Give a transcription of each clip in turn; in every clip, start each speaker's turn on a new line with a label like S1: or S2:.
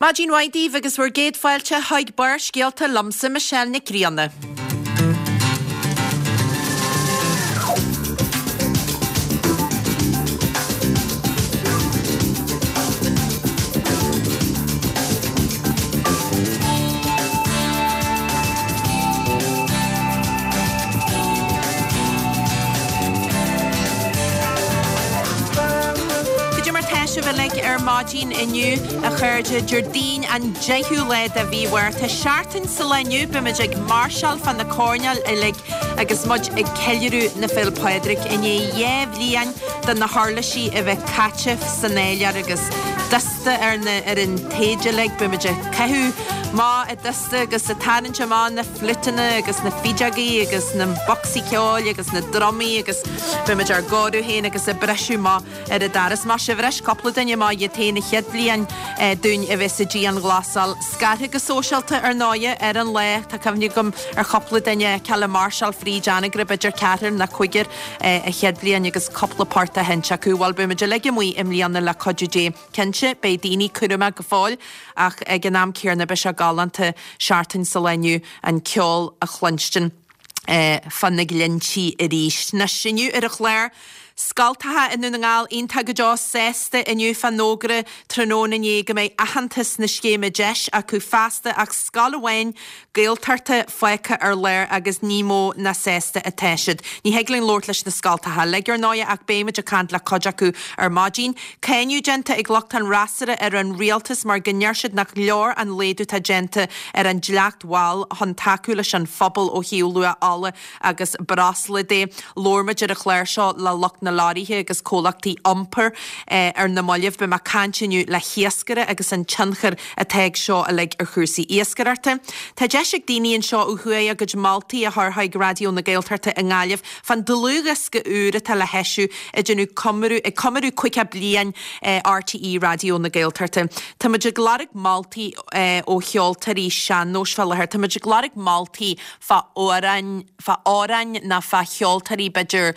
S1: Maidin mhaith daoibh agus bhur gcéad fáilte chuig Barrscéalta liomsa Michelle Nic Grianna. Cad é mar tá sibh uilig ar maidin inniu? A chairde, Déardaoin an 10ú lá de mhí Mhárta, seachtain sa lá inniu, beimid ag máirseáil fá na coirnéil uilig agus muid ag ceiliúradh na Féile Pádraig i ndiaidh 2 bhliain de na huirlisí a bheith caite san áiléar agus dusta ar na ar an taoide uilig. Beimid ag caitheamh amach an dusta agus ag tarraingt amach na fliúiteanna agus na fideogaí agus na bocsaí ceoil agus na drumaí agus beimid ár gcóiriú féin agus ag briseadh amach ar an doras. Maith sibh, bhris cúpla duine amach iad féin an chéad bhliain dúinn a bheith sa dianghlasáil. Scartha go sóisialta, ar ndóighe, ar an lá. Tá cuimhne agam ar chúpla duine a fheiceáil ag máirseáil fríd Anagaire, b'fhéidir ceathrar nó cúigear, an chéad bhliain agus cúpla port á sheinnt acu. Bhuel, beidh muid uilig amuigh i mbliana le cuidiú Dé. Cinnte, beidh daoine cúramach go fóill ach ag an am céanna beidh sé galánta seachtain sa lá inniu an ceol a chluinstin. fá na Glinntí arís. Anois, inniu ar an chlár, Scoltacha i nDún na nGall iontach go deo sásta inniu fán fhógra tráthnóna inné go mbeidh aitheantas na scéime deis acu feasta ach scoil amháin Gaeltachta fágtha ar lár agus ní mó ná sásta atá siad. Ní thig linn labhairt leis na scoltacha uilig ar ndóighe ach beimid ag caint le cuid acu ar maidin. Cáineadh déanta ag lucht an fhreasúra ar an rialtas mar go ndeir siad nach leor an laghdú atá déanta ar an dleacht mháil chun tacú leis an phobal ó thaobh luach ola agus breosla de. Labhair muid ar an chlár seo le lucht na leoraithe agus comhlachtaí iompair ar na mallaibh. Beidh mé ag caint inniu le hiascaire agus an tionchar atá ag seo uilig ar chúrsaí iascaireachta. Tá deis ag daoine anseo ó thuaidh a gcuid moltaí a chur chuig Raidió na Gaeltachta i nGaillimh fán dlúthdhiosca úr atá le heisiú ag déanamh comóradh, ag comóradh 50 bliain RTÉ Raidió na Gaeltachta. Tá muid ag lorg moltaí ó cheoltóirí sean-nóis fá láthair. Tá muid ag lorg moltaí fá amhráin, fá amhráin nó fá cheoltóirí b'fhéidir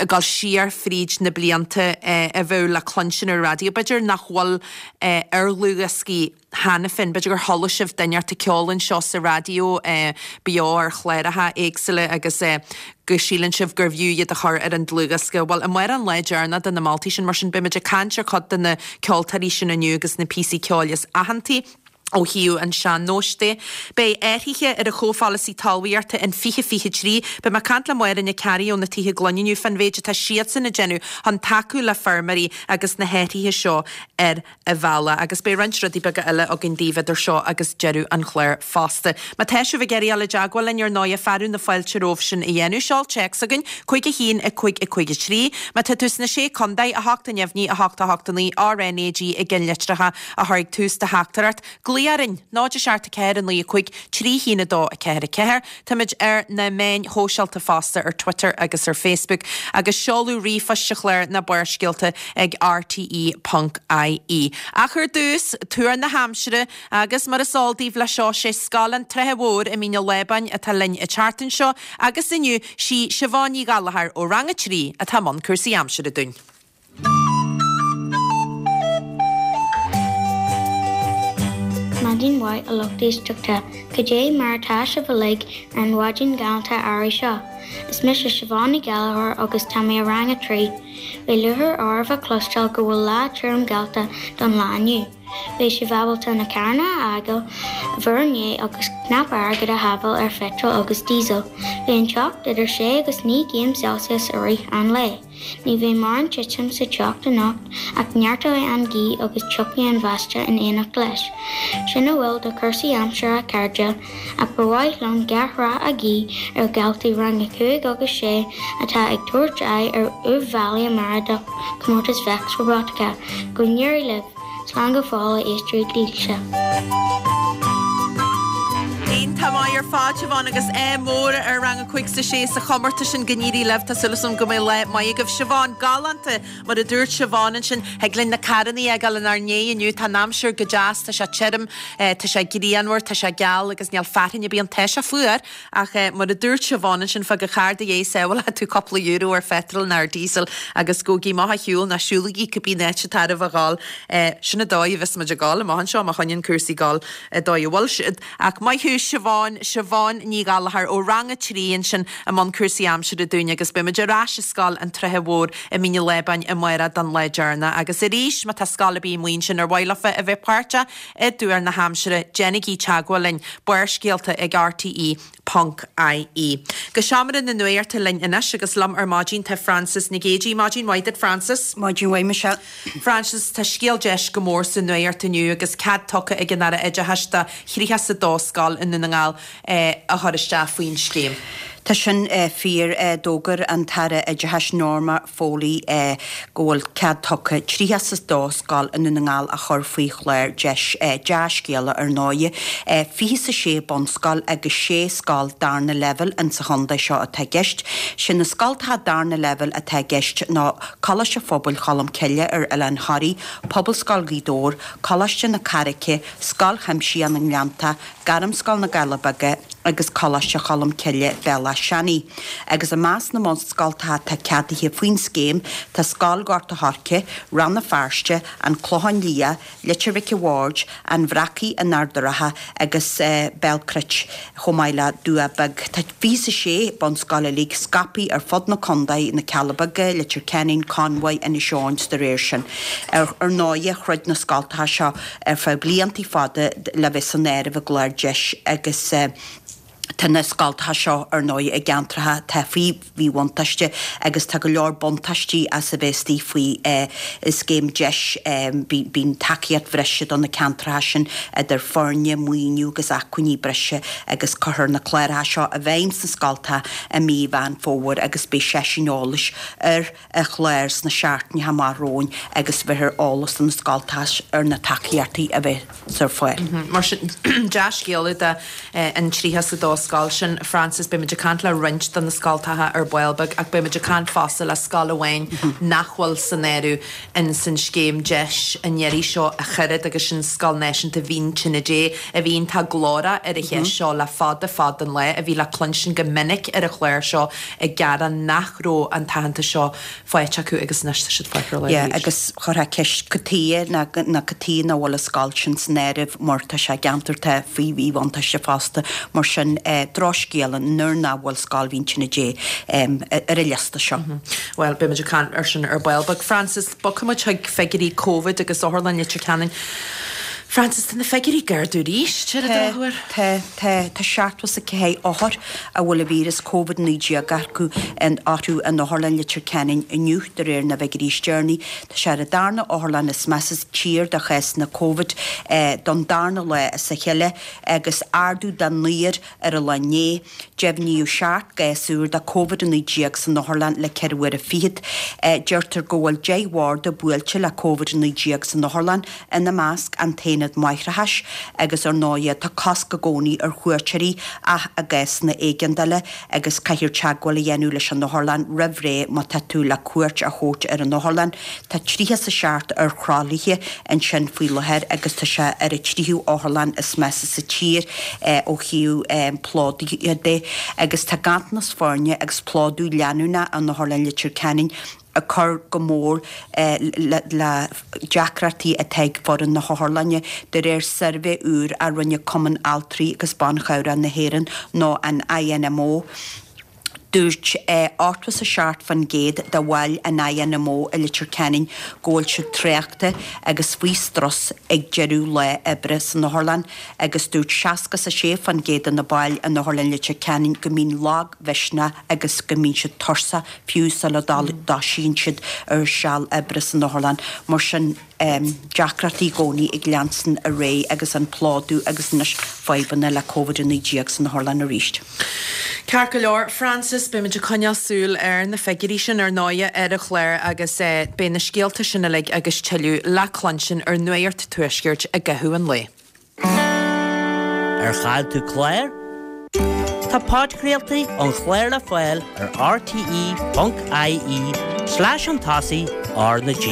S1: ag dul siar fríd na blianta a bheadh le cluinstin ar an raidió. B'fhéidir nach bhfuil ar dhlúthdhioscaí cheana féin. B'fhéidir gur chuala sibh duine inteacht ag ceol anseo sa raidió beo ar chláracha éagsúla agus go síleann sibh gurbh fhiú iad a chur ar an dlúthdhiosca. Bhuel, amárach an lá deireanach do na moltaí sin, mar sin beimid ag caint ar chuid de na ceoltóirí sin inniu agus na píosaí ceoil is aitheantaí ó thaobh an sean-nóis de. Beidh athruithe ar an chomhpholasaí talmhaíochta in 2023. Beidh mé ag caint le Máire Nic Fhearraigh ó na Tithe Gloine inniu fán mhéid atá siadsan ag déanamh chun tacú le feirmeoirí agus na hathruithe seo ar a bhealach agus beidh roinnt rudaí beaga eile againn daoibh idir seo agus deireadh an chláir fosta. Má tá sibh ag iarraidh dul i dteagmháil linn ar ndóighe, fearadh na fáilte romhaibh sin a dhéanamh. Seol téacs chugainn, 5 1 5 5 3. Má tá tú sna Sé Contae, 8 neamhní 8 8 9 RNAG i gceannlitreacha a chur ag tús do theachtaireacht. Glaoigh orainn, 0 7 4 9 5 3 1 2 4 4. Táimid ar na meáin shóisialta fosta, ar Twitter agus ar Facebook, agus seoladh ríomhphoist sa chlár ná Barrscéalta ag rte ponc ie. Ach ar dtús, tuar na haimsire, agus mar is eol daoibh le seo, sé Scoil an tSratha Mhóir i Mín an Lábáin atá linn an tseachtain seo, agus inniu, sí Siobhán Ní Ghallchóir ó Rang 3 atá i mbun cúrsaí aimsire dúinn.
S2: Maidin mhaith a lucht éisteachta, cad é mar atá sibh uilig ar an mhaidin ghalánta earraigh seo? Is mise Siobhán Ní Ghallchóir agus tá mé i Rang 3. Beidh lúcháir oraibh a chloisteáil go bhfuil lá tirim geallta don lá inniu. Beidh sibh ábalta na carranna a fhágáil i bhur ndiaidh agus cnap airgid a shábháil ar pheitreal agus díosal. Beidh an teocht idir 6 agus 9 gcéim Celsius i rith an lae. Ní bheidh mórán titim sa teocht anocht ach neartóidh an ghaoth agus tiocfaidh an bháisteach in éineacht leis. Sin a bhfuil de chúrsaí aimsire a chairde, ach ba mhaith liom gach rath a ghuí ar dhaltaí Rang 5 agus 6 atá ag tabhairt aghaidh ar Uíbh Fhailí amárach do Chomórtas Vex Robotica. Go n-éirí libh! Slán go fóill a éisteoirí dílse.
S1: Iontach maith ar fad, Siobhán, agus ádh mór ar Rang a 5 's a 6 sa chomórtas sin, go n-éirí libh, tá súil agam go mbeidh lá maith agaibh. Siobhán, galánta, mar a dúirt Siobhán ansin, thig linn na carrannaí a fhágáil inár ndiaidh inniu, tá an aimsir go deas, tá sé tirim, tá sé grianmhar, tá sé geal agus níl fearthainn ar bith ann, tá sé fuar! Ach mar a dúirt Siobhán ansin, fág an carr i do dhiaidh, sábhálfaidh tú cúpla euro ar phetrol nó ar diesel agus gabhaigí amach a shiúl nó siúlaigí cibé áit atá oraibh a dhul. Sin an dóigh a bheas muid ag dul amach anseo má choinníonn cúrsaí ag dul an dóigh a bhfuil siad. Ach maith thú Siobhán, Siobhán Ní Ghallchóir ó Rang 3 ansin i mbun cúrsaí aimsire dúinn agus beidh muid ar ais i Scoil an tSratha Mhóir i Mín an Lábáin amárach don lá deireanach. Agus arís má tá scoil ar bith amuigh ansin ar mhaith leofa a bheith páirteach I dtuar na haimsire, déanaigí teagmháil linn, Barrscéalta ag rte ponc ie. Go seomra na nuachta linn anois agus liom ar maidin tá Frances Nic Géadaigh. Maidin mhaith duit Frances.
S3: Maidin mhaith Michelle.
S1: Frances, tá scéal deis go mór sa nuacht inniu agus cead tugtha ag an Aire Oideachais do 32 scoil i nDún na nGall a chur isteach faoin scéim.
S3: Tá sin fíor. D'fhógair an tAire Oideachais Norma Foley go bhfuil cead tugtha 32 scoil i nDún na nGall a chur faoi chlár deis. Dea-scéala ar ndóighe. 26 bunscoil agus 6 scoil darna leibhéal insa chontae seo atá i gceist. Sé na scoltacha darna leibhéal atá i gceist ná Coláiste Phobail Cholm Cille ar Oileán Thoraí, Pobalscoil Ghaoth Dobhair, Coláiste na Carraice, Scoil Chuimsitheach na nGleannta, Gairmscoil na gCealla Beaga agus Coláiste Cholm Cille, Béal Átha Seanaidh. Agus i measc na mbunscoltacha atá ceadaithe faoin scéim tá Scoil Ghort a' Choirce, Rann na Feirste, An Clochán Liath, Leitir Mhic a' Bhaird, An Bhreacaigh in Ard a' Rátha agus Béal Cruit chomh maith le Dumhach Beag. Tá 26 bunscoil uilig scaipthe ar fud na contae, Na Cealla Beaga, Leitir Ceanainn, Conmhaigh, Inis Eoghain 's dá réir sin. Ar ndóighe, throid na scoltacha seo ar feadh blianta fada le bheith san áireamh i gclár deis agus tá na scoltacha seo ar ndóigh i gceantracha atá faoi mhíbhuntáiste agus tá go leor buntáistí as a bheith istigh faoi scéim deis. Bíonn tacaíocht bhreise do na ceantracha sin idir foirne, maoiniú agus acmhainní breise agus cuirfear na cláracha seo i bhfeidhm sna scoltacha i mí Mheán Fómhair agus beidh seisiúin eolais ar an chlár sna seachtainí amach romhainn agus bhéarfar eolas do na scoltacha ar na tacaíochtaí a bheas ar fáil.
S1: Mar sin, dea-scéala do an 32 scoil sin, Frances. Beidh muid ag caint le roinnt de na scoltacha ar ball beag ach beidh muid ag caint fosta le scoil amháin nach bhfuil san áireamh in san scéim deis an iarraidh seo a chaired agus sin Scoil Náisiúnta Mhín Tine Dé a bhí iontach glórach ar an cheist seo le fada fada an lá, a bhí le cluinstin go minic ar an chlár seo ag gearán nach raibh an t-aitheantas seo faighte acu agus anois tá siad faighte ar lá
S3: Yeah, arís. agus chuirfeá ceist cad chuige ná cad chuige nach bhfuil an scoil sin san áireamh mar tá sé i gceantar atá faoi mhíbhuntáiste fosta, mar sin drochscéala nuair nach bhfuil Scoil Mhín Tine Dé ar an liosta seo.
S1: Bhuel, beidh muid ag caint ar sin ar ball beag. Frances, bogfaidh muid chuig figiúirí Covid agus Otharlann Leitir Ceanainn. Frances, tá na figiúirí ag ardú arís, ar an drochuair.
S3: Tá, tá, tá 74 othar a bhfuil an víreas Covid-19 acu orthu in Otharlann Leitir Ceanainn inniu, de réir na bhfigiúirí is deireanaí. Tá sé ar an darna otharlann is measa sa tír do chásanna Covid don darna lá as a chéile agus ardú de naonúr ar an lá inné. Deimhníodh 7 gcás úr de Covid-19 san otharlann le ceithre huaire fichead. Deirtear go bhfuil 10 bharda buailte le Covid-19 san otharlann, ina measc an t-aonad máithreachais, agus ar ndóighe tá cosc i gcónaí ar chuairteoirí ach i gcásanna éigeandála agus caithfear teagmháil a dhéanamh leis an otharlann roimh ré má tá tú le cuairt a thabhairt ar an otharlann. Tá 37 ar thralaithe ansin faoi láthair agus tá sé ar an tríú otharlann is measa sa tír ó thaobh plódaithe de agus tá ganntanas foirne agus plódú leanúnach in Otharlann Leitir Ceanainn ag cur go mór le deacrachtaí atá ag foireann na hotharlainne, de réir suirbhé úr a rinne Cumann Altraí agus Ban Chabhrach na hÉireann nó an INMO. Dúirt 87% de bhaill an INMO i Leitir Ceanainn go bhfuil siad traochta agus faoi strus ag deireadh lá oibre san otharlann agus dúirt 66% de na baill in Otharlann Leitir Ceanainn go mbíonn lagmhisneach agus go mbíonn siad tuirseach fiú sula dtosaíonn siad ar seal oibre san otharlann. Mar sin, deacrachtaí i gcónaí ag leanstan ar aghaidh agus an plódú agus anois fadhbanna le Covid-19 san otharlann arís.
S1: Ceart go leor, Frances, beimid ag coinneáil súil ar na figiúirí sin ar ndóighe ar an chlár agus beidh na scéalta sin uilig agus tuilleadh le cluinstin ar Nuacht Tuaiscirt i gcaitheamh an lae.
S4: Ar chaill tú clár? Tá podchraoltaí an chláir le fáil ar rte.ie slash chun tosaigh R na G.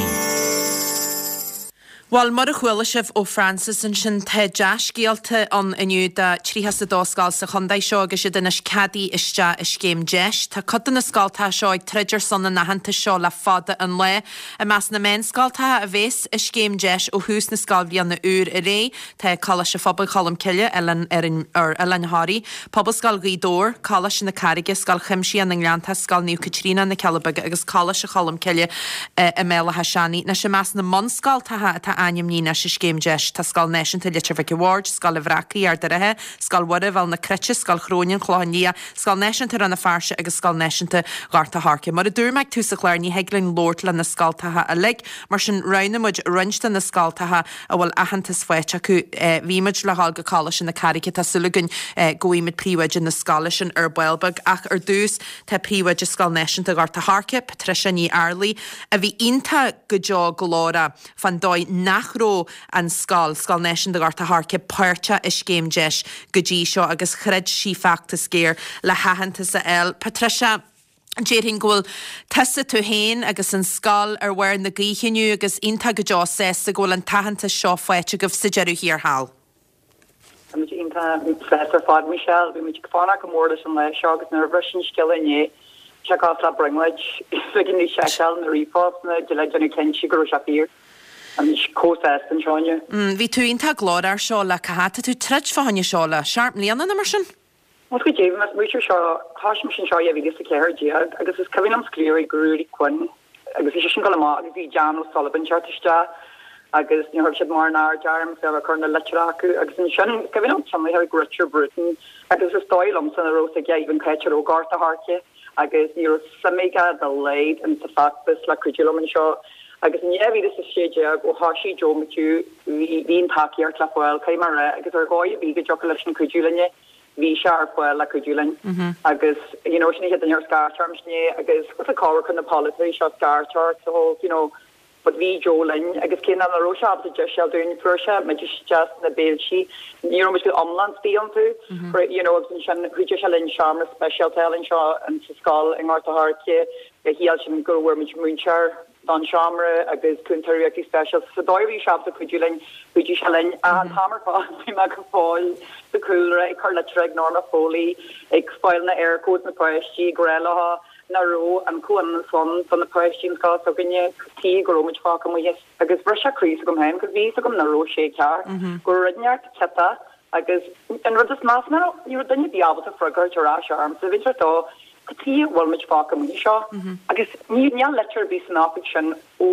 S1: Bhuel, mar a chuala sibh ó Frances ansin, tá dea-scéalta ann inniu do 32 scoil sa chontae seo agus iad anois ceadaithe isteach i scéim deis. Tá cuid de na scoltacha seo ag troid ar son an aitheantais seo le fada an lá. I measc na meánscoltacha a bhéas i scéim deis ó thús na scoilbhliana úr ar aghaidh, Tá Coláiste Phobail Cholmcille, Oileán ar Oileán Thoraí, Pobalscoil Ghaoth Dobhair, Coláiste na Carraige, Scoil Chuimsitheach na nGleanntach, Scoil Naomh Caitríona, Na Cealla Beaga agus Coláiste Cholmcille i mBéal Átha Seanaidh. Anois i measc na mbunscoltacha atá ainmnithe anois i Scéim Deis tá Scoil Náisiúnta Leitir Mhic a' Bhaird, Scoil an Bhreacaigh, Ard an Rátha, Scoil Mhuire, Bhéal na Cruite, Scoil Chrónáin, Clochán Liath, Scoil Náisiúnta Rann na Feirste agus Scoil Náisiúnta Ghort a' Choirce. Mar a dúirt mé ag tús an chláir ní thig linn labhairt le na scoltacha uilig, mar sin roghnaigh muid roinnt de na scoltacha a bhfuil aitheantas faighte acu. Bhí muid le dhul go Coláiste na Carraige, tá súil againn go bhfaighimid príomhoide na scoile sin ar ball beag. Ach ar dtús, tá príomhoide Scoil Náisiúnta Ghort a' Choirce, Patricia Ní Fhearghail, a bhí iontach go deo glórach fán dóigh nach raibh an scoil, Scoil Náisiúnta Ghort a' Choirce, páirteach i scéim deis go dtí seo agus throid sí feachtas géar le haitheantas a fháil. Patricia. Déarfainn go bhfuil tusa, tú féin agus an scoil ar bharr na gaoithe inniu agus iontach go deo sásta go bhfuil an t-aitheantas seo faighte agaibh sa deireadh thiar thall.
S5: Tá muid iontach sásta ar fad, Michelle. Bhí muid ag fanacht go mór leis an lá seo agus nuair a bhris an scéala inné, bhí sé cosúil le brionglóid. Bhí mé ag seiceáil na ríomhphostanna le déanamh cinnte go raibh sé fíor. Tá muid chomh sásta anseo inniu.
S1: Bhí tú iontach glórach air seo le cá fhad? Tá tú ag troid fá choinne seo le seacht mbliana nó mar sin?
S5: Bhuel go deimhin, más múinteoir seo, thosaigh mise anseo i 2014 agus is cuimhin liom scríobh ag Ruairí Quinn agus bhí seisean ag dul amach agus bhí Jan O'Sullivan teacht isteach agus níor thug siad mórán aird orm is ag cur na litreacha acu agus ansin is cuimhin liom ceann ag Richard Bruton agus is dóigh liomsa nach raibh fhios aige even cá háit a raibh Gort a' Choirce agus ní raibh suim aige dá laghad in sa feachtas le cuidiú liom anseo agus in 2016 ó thosaigh Joe McHugh bhí bhí an tacaíocht le fáil, caithfidh mé a rá, agus ar dhóigh ar bith go dtiocfadh leisean cuidiú linne. bhí sé ar fáil le cuidiú linn agus you know sin an chéad duine ar scairt orm sin é agus what's it called chun na polaiteoirí seo scairt ort so you know but bhí Joe linn agus cé nach raibh sé ábalta deis a fháil dúinn fuair sé muid isteach sna béiltí ní raibh muid go iomlán istigh iontu you know agus ansin chuidigh sé linn seomra speisialta a fháil anseo in sa scoil i nGort a' Choirce chiallaigh sin go bhfuair muid múinteoir don seomra agus cúntóir riachtanais speisialta. Sa dóigh a bhí sé ábalta cuidiú linn, chuidigh sé linn. Ach an t-am ar fad bhí mé go fóill sa chúlra ag cur litreacha ag Norma Foley, ag fáil na Eircodes na páistí, ag rá leo nach raibh an comhionannas ann do na páistí an scoil s'againne, tuige go raibh muid fágtha amuigh as. Agus bhris sé croí s'agam féin, cos bhí fhios agam nach raibh sé ceart, go raibh rud inteacht ciotach agus an rud is measa ná ní raibh duine ar bith ábalta freagairt ar ais ormsa. Bhí sé dó Cad chuige a bhfuil muid fágtha amuigh seo? Agus níl litir ar bith san oifig sin ó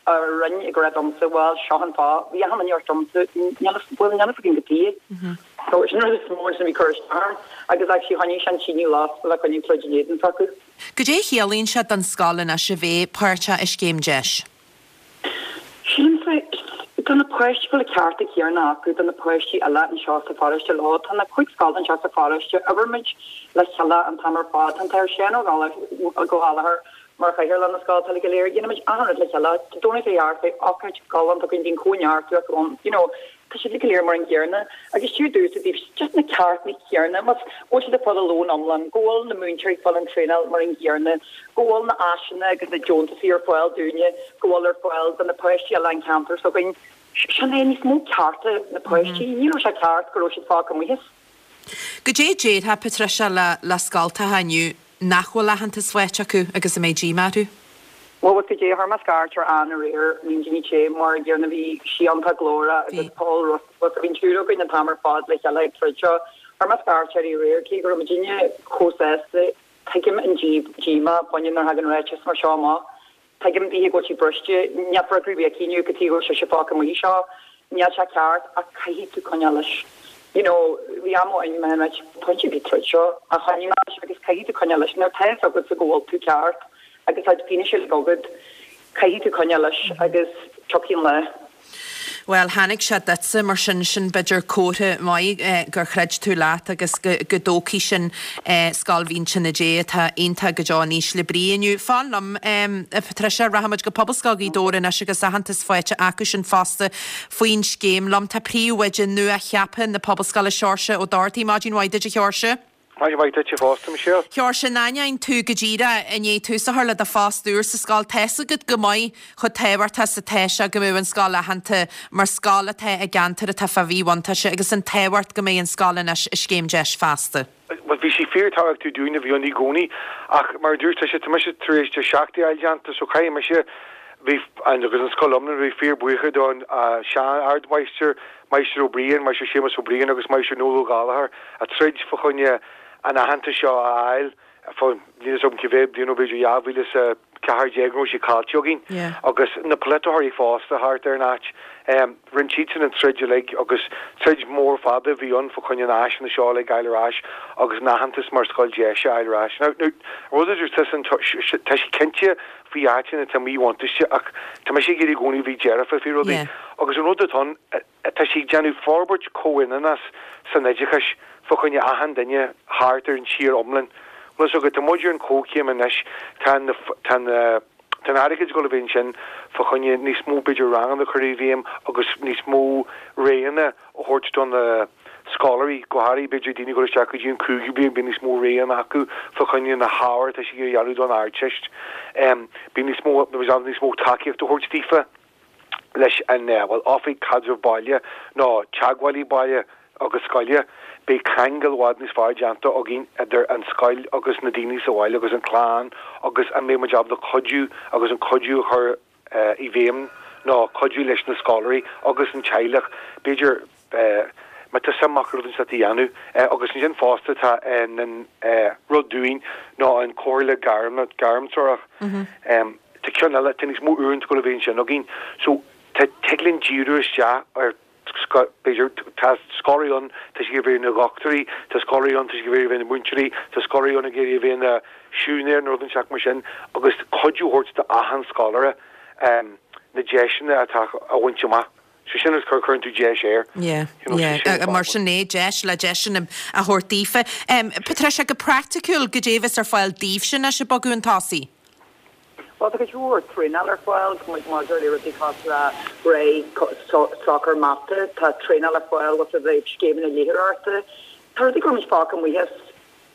S5: an Roinn ag rá domsa, bhuel, seo an fáth. Bhí achan duine ag rá domsa, níl a bhuel, níl a fhios againn cad chuige. So sin an rud is mó ansin a bhí ag cur isteach orm. Agus actually choinnigh sé an tine lasta le coinne troid in éadan s'acu.
S1: Goidé a chiallaíonn sé don scoil anois a bheith páirteach i scéim deis?
S5: Sílimse, do na páistí go bhfuil na cearta céanna acu do na páistí eile anseo sa pharóiste leo. Tá na 5 scoil anseo sa pharóiste, oibrímid le chéile an t-am ar fad. Tá an tAthair Seán Ó Gallchóir mar chathaoirleach na scoile uilig go léir. Déanaimid achan rud le chéile. Dé Domhnaigh Dé hAirt beidh ócáid galánta againn, bíonn cóineartú acu ann, you know. Tá siad go léir mar an gcéanna agus deir domhsa i dtaobh just na ceartanna céanna, más go bhfuil siad ag fáil a lón iomlán, go bhfuil na múinteoirí ag fáil an traenáil mar an gcéanna, go bhfuil na áiseanna agus na deontasaí ar fáil dúinne, go bhfuil ar fáil do na páistí eile an ceantar s'againn. Sin é, níos mó cearta na páistí. Ní raibh sé ceart go raibh siad fágtha amuigh as.
S1: Goidé a déarfá, Patricia, le le scoltacha inniu nach bhfuil aitheantas faighte acu agus a mbeidh díomá orthu?
S5: Bhuel, goidé, chuir mé scairt ar Ann aréir, Lindsay Ní Shé, mar an gcéanna, bhí sí iontach glórach agus Paul Russell, bhí an triúr againn an t-am ar fad le chéile ag troid seo. Chuir mé scairt uirthi aréir, cé go raibh muidinne chomh sásta, tuigim an díomá baineann nuair a thagann ráiteas mar seo amach. Tuigim daoithe go bhfuil sí briste, níl freagra ar bith aici inniu cad chuige go bhfuil sise fágtha amuigh seo. Níl sé ceart ach caithfidh tú coinneáil leis. You know, bhí am ó mé right, pointe ar bith troid seo a choinneáil leis agus caithfidh tú coinneáil leis. Nuair atá fhios agatsa go bhfuil tú ceart agus tá fianaise uilig agat, caithfidh tú coinneáil leis agus tiocfaidh an lá.
S1: Bhuel, tháinig sé duitse, mar sin, sin b'fhéidir comhartha maith gur chreid tú leat agus go dtógfaidh sin Scoil Mhínte na Dé atá iontach go deo in ísle brí inniu. Fan liom, a Patricia, rachaimid go Pobalscoil Ghaoth Dobhair anois agus aitheantas faighte acu sin fosta faoin scéim. Liom tá príomhoide nua-cheaptha na Pobalscoile, Seoirse Ó Dochartaigh. Maidin mhaith duit, a Sheoirse.
S6: Maidin mhaith duitse fosta, Michelle.
S1: Sheoirse, in ainneoin tú go díreach i ndiaidh tús a chur le do phost úr sa scoil, tá's agat go maith chomh tábhachtach is atá sé go mbeadh an scoil aitheanta mar scoil atá i gceantar atá fá mhíbhuntáiste agus an tábhacht go mbeidh an scoil anois i Scéim Deis feasta.
S6: Bhuel, bhí sé fíorthábhachtach dúinn a bhí ann i gcónaí ach mar a dúirt tusa, tá mise tar éis deis a fháil déanta so caithfidh mise bhí agus an scoil iomlán bheith fíorbhuíoch don sean-ardmháistir, Máistir Ó Briain, Máistir Séamus Ó Briain agus Máistir Noel Ó Gallchóir a troid fá choinne an aitheantas seo a fháil fá, níl fhios agam cé mhéad bliain ó b'fhéidir 2014 go raibh sé caillte againn agus na polaiteoirí fosta thart ar an áit. Rinne siadsan an troid uilig agus troid mór fada a bhí ann fá choinne na áiseanna seo uilig a fháil ar ais agus an aitheantas mar scoil deise a fháil ar ais. Now, rud a dúirt tusa, tá sé cinnte faoi áiteanna atá míbhuntáiste ach tá mise ag iarraidh i gcónaí bheith dearfa faoi rudaí agus an rud atá ann, tá sé ag déanamh forbairt comhionannas san oideachais fá choinne achan duine thart ar an tír iomlán. Bhfuil fhios agat, tá muid ar an chomhchéim anois, tá na, tá na, tá an airgead ag dul a bheith ansin fá choinne níos mó b'fhéidir ranganna a chur i bhfeidhm agus níos mó roghanna a thabhairt do na scoláirí, go háirithe b'fhéidir daoine ag dul isteach go dtí an cúigiú bliain, beidh níos mó roghanna acu fá choinne na hábhair atá siad ag iarraidh a dhéanamh don Ardteist. Beidh níos mó, níos mó tacaíocht a thabhairt daofa leis an, bhuel, Oifig Caidrimh Baile nó Teagmhálaí Baile agus Scoile. Beidh ceangal i bhfad níos fearr déanta againn idir an scoil agus na daoine sa bhaile agus an chlann agus an mbeidh muid ábalta cuidiú agus an cuidiú a chur i bhfeidhm nó cuidiú leis na scoláirí agus an teaghlach, b'fhéidir, má tá suim acu rud inteacht a dhéanamh. Agus ansin fosta tá an rud dúinn ná an comhairle gairmtreorach. Tá ceann eile, tá níos mó uaireanta ag dul a bheith ansin againn. So tá, tig linn díriú isteach ar b'fhéidir, tá scoláirí ann, tá siad ag iarraidh bheith ina dhochtúirí, tá scoláirí ann, tá siad ag iarraidh bheith ina múinteoirí, tá scoláirí ann ag iarraidh a bheith ina siúinéir nó rud inteacht mar sin, agus cuidiú a thabhairt d'achan scoláire na deiseanna atá a bhaint amach. So sin is cur, cuireann tú deis air.
S1: Yeah, yeah, mar sin é, deis le deiseanna a thabhairt daofa. Patricia, go praiticiúil, goidé a bheas ar fáil daoibhse anois ag bogadh chun tosaigh?
S5: Bhuel, tá cuid mhór traenáil ar fáil maidir le rudaí cosúil le réidh socair mata, tá traenáil ar fáil i dtaobh scéimeanna léitheoireachta. Tá rudaí go raibh muid fágtha amuigh as,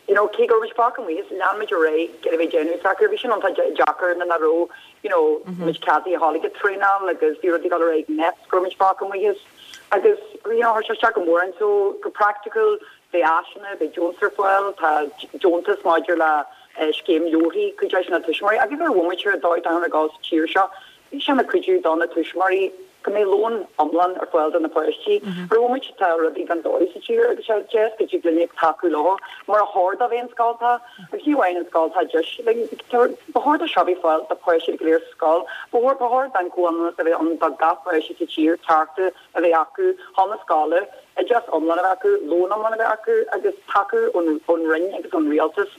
S5: you know, cé go raibh muid fágtha amuigh as, lean muid ar aghaidh ag iarraidh a bheith ag déanamh s'acu. Bhí sin iontach deacair nuair nach raibh, you know, muid ceadaithe a dhul ag an traenáil agus bhí rudaí ag dul ar aghaidh ag Nphet go raibh muid fágtha amuigh as. Agus, you know, chuir sé isteach go mór orainn. So, go praiticiúil, beidh áiseanna, beidh deontas ar fáil, tá deontas maidir le scéim leabharthaí, cuid de na tuismitheoirí agus ar bhomaite ar dóigh atá ag dul sa tír seo, bhí sé ina chuidiú do na tuismitheoirí go mbeidh lón iomlán ar fáil do na páistí. Ar bhomaite tá rudaí gan dóigh sa tír agus sé deas go dtig linn tacú leo mar a chóir dó bheith an scoil tá agus ní amháin an scoil tá deis ba chóir do seo bheith fáil do páistí go léir sa scoil ba chóir ba chóir don comhionannas a bheith ann do gach páiste sa tír cearta a bheith acu chun na scoile, oideachas iomlán a bheith acu, lón iomlán a bheith acu agus tacú ón Roinn agus ón Rialtas.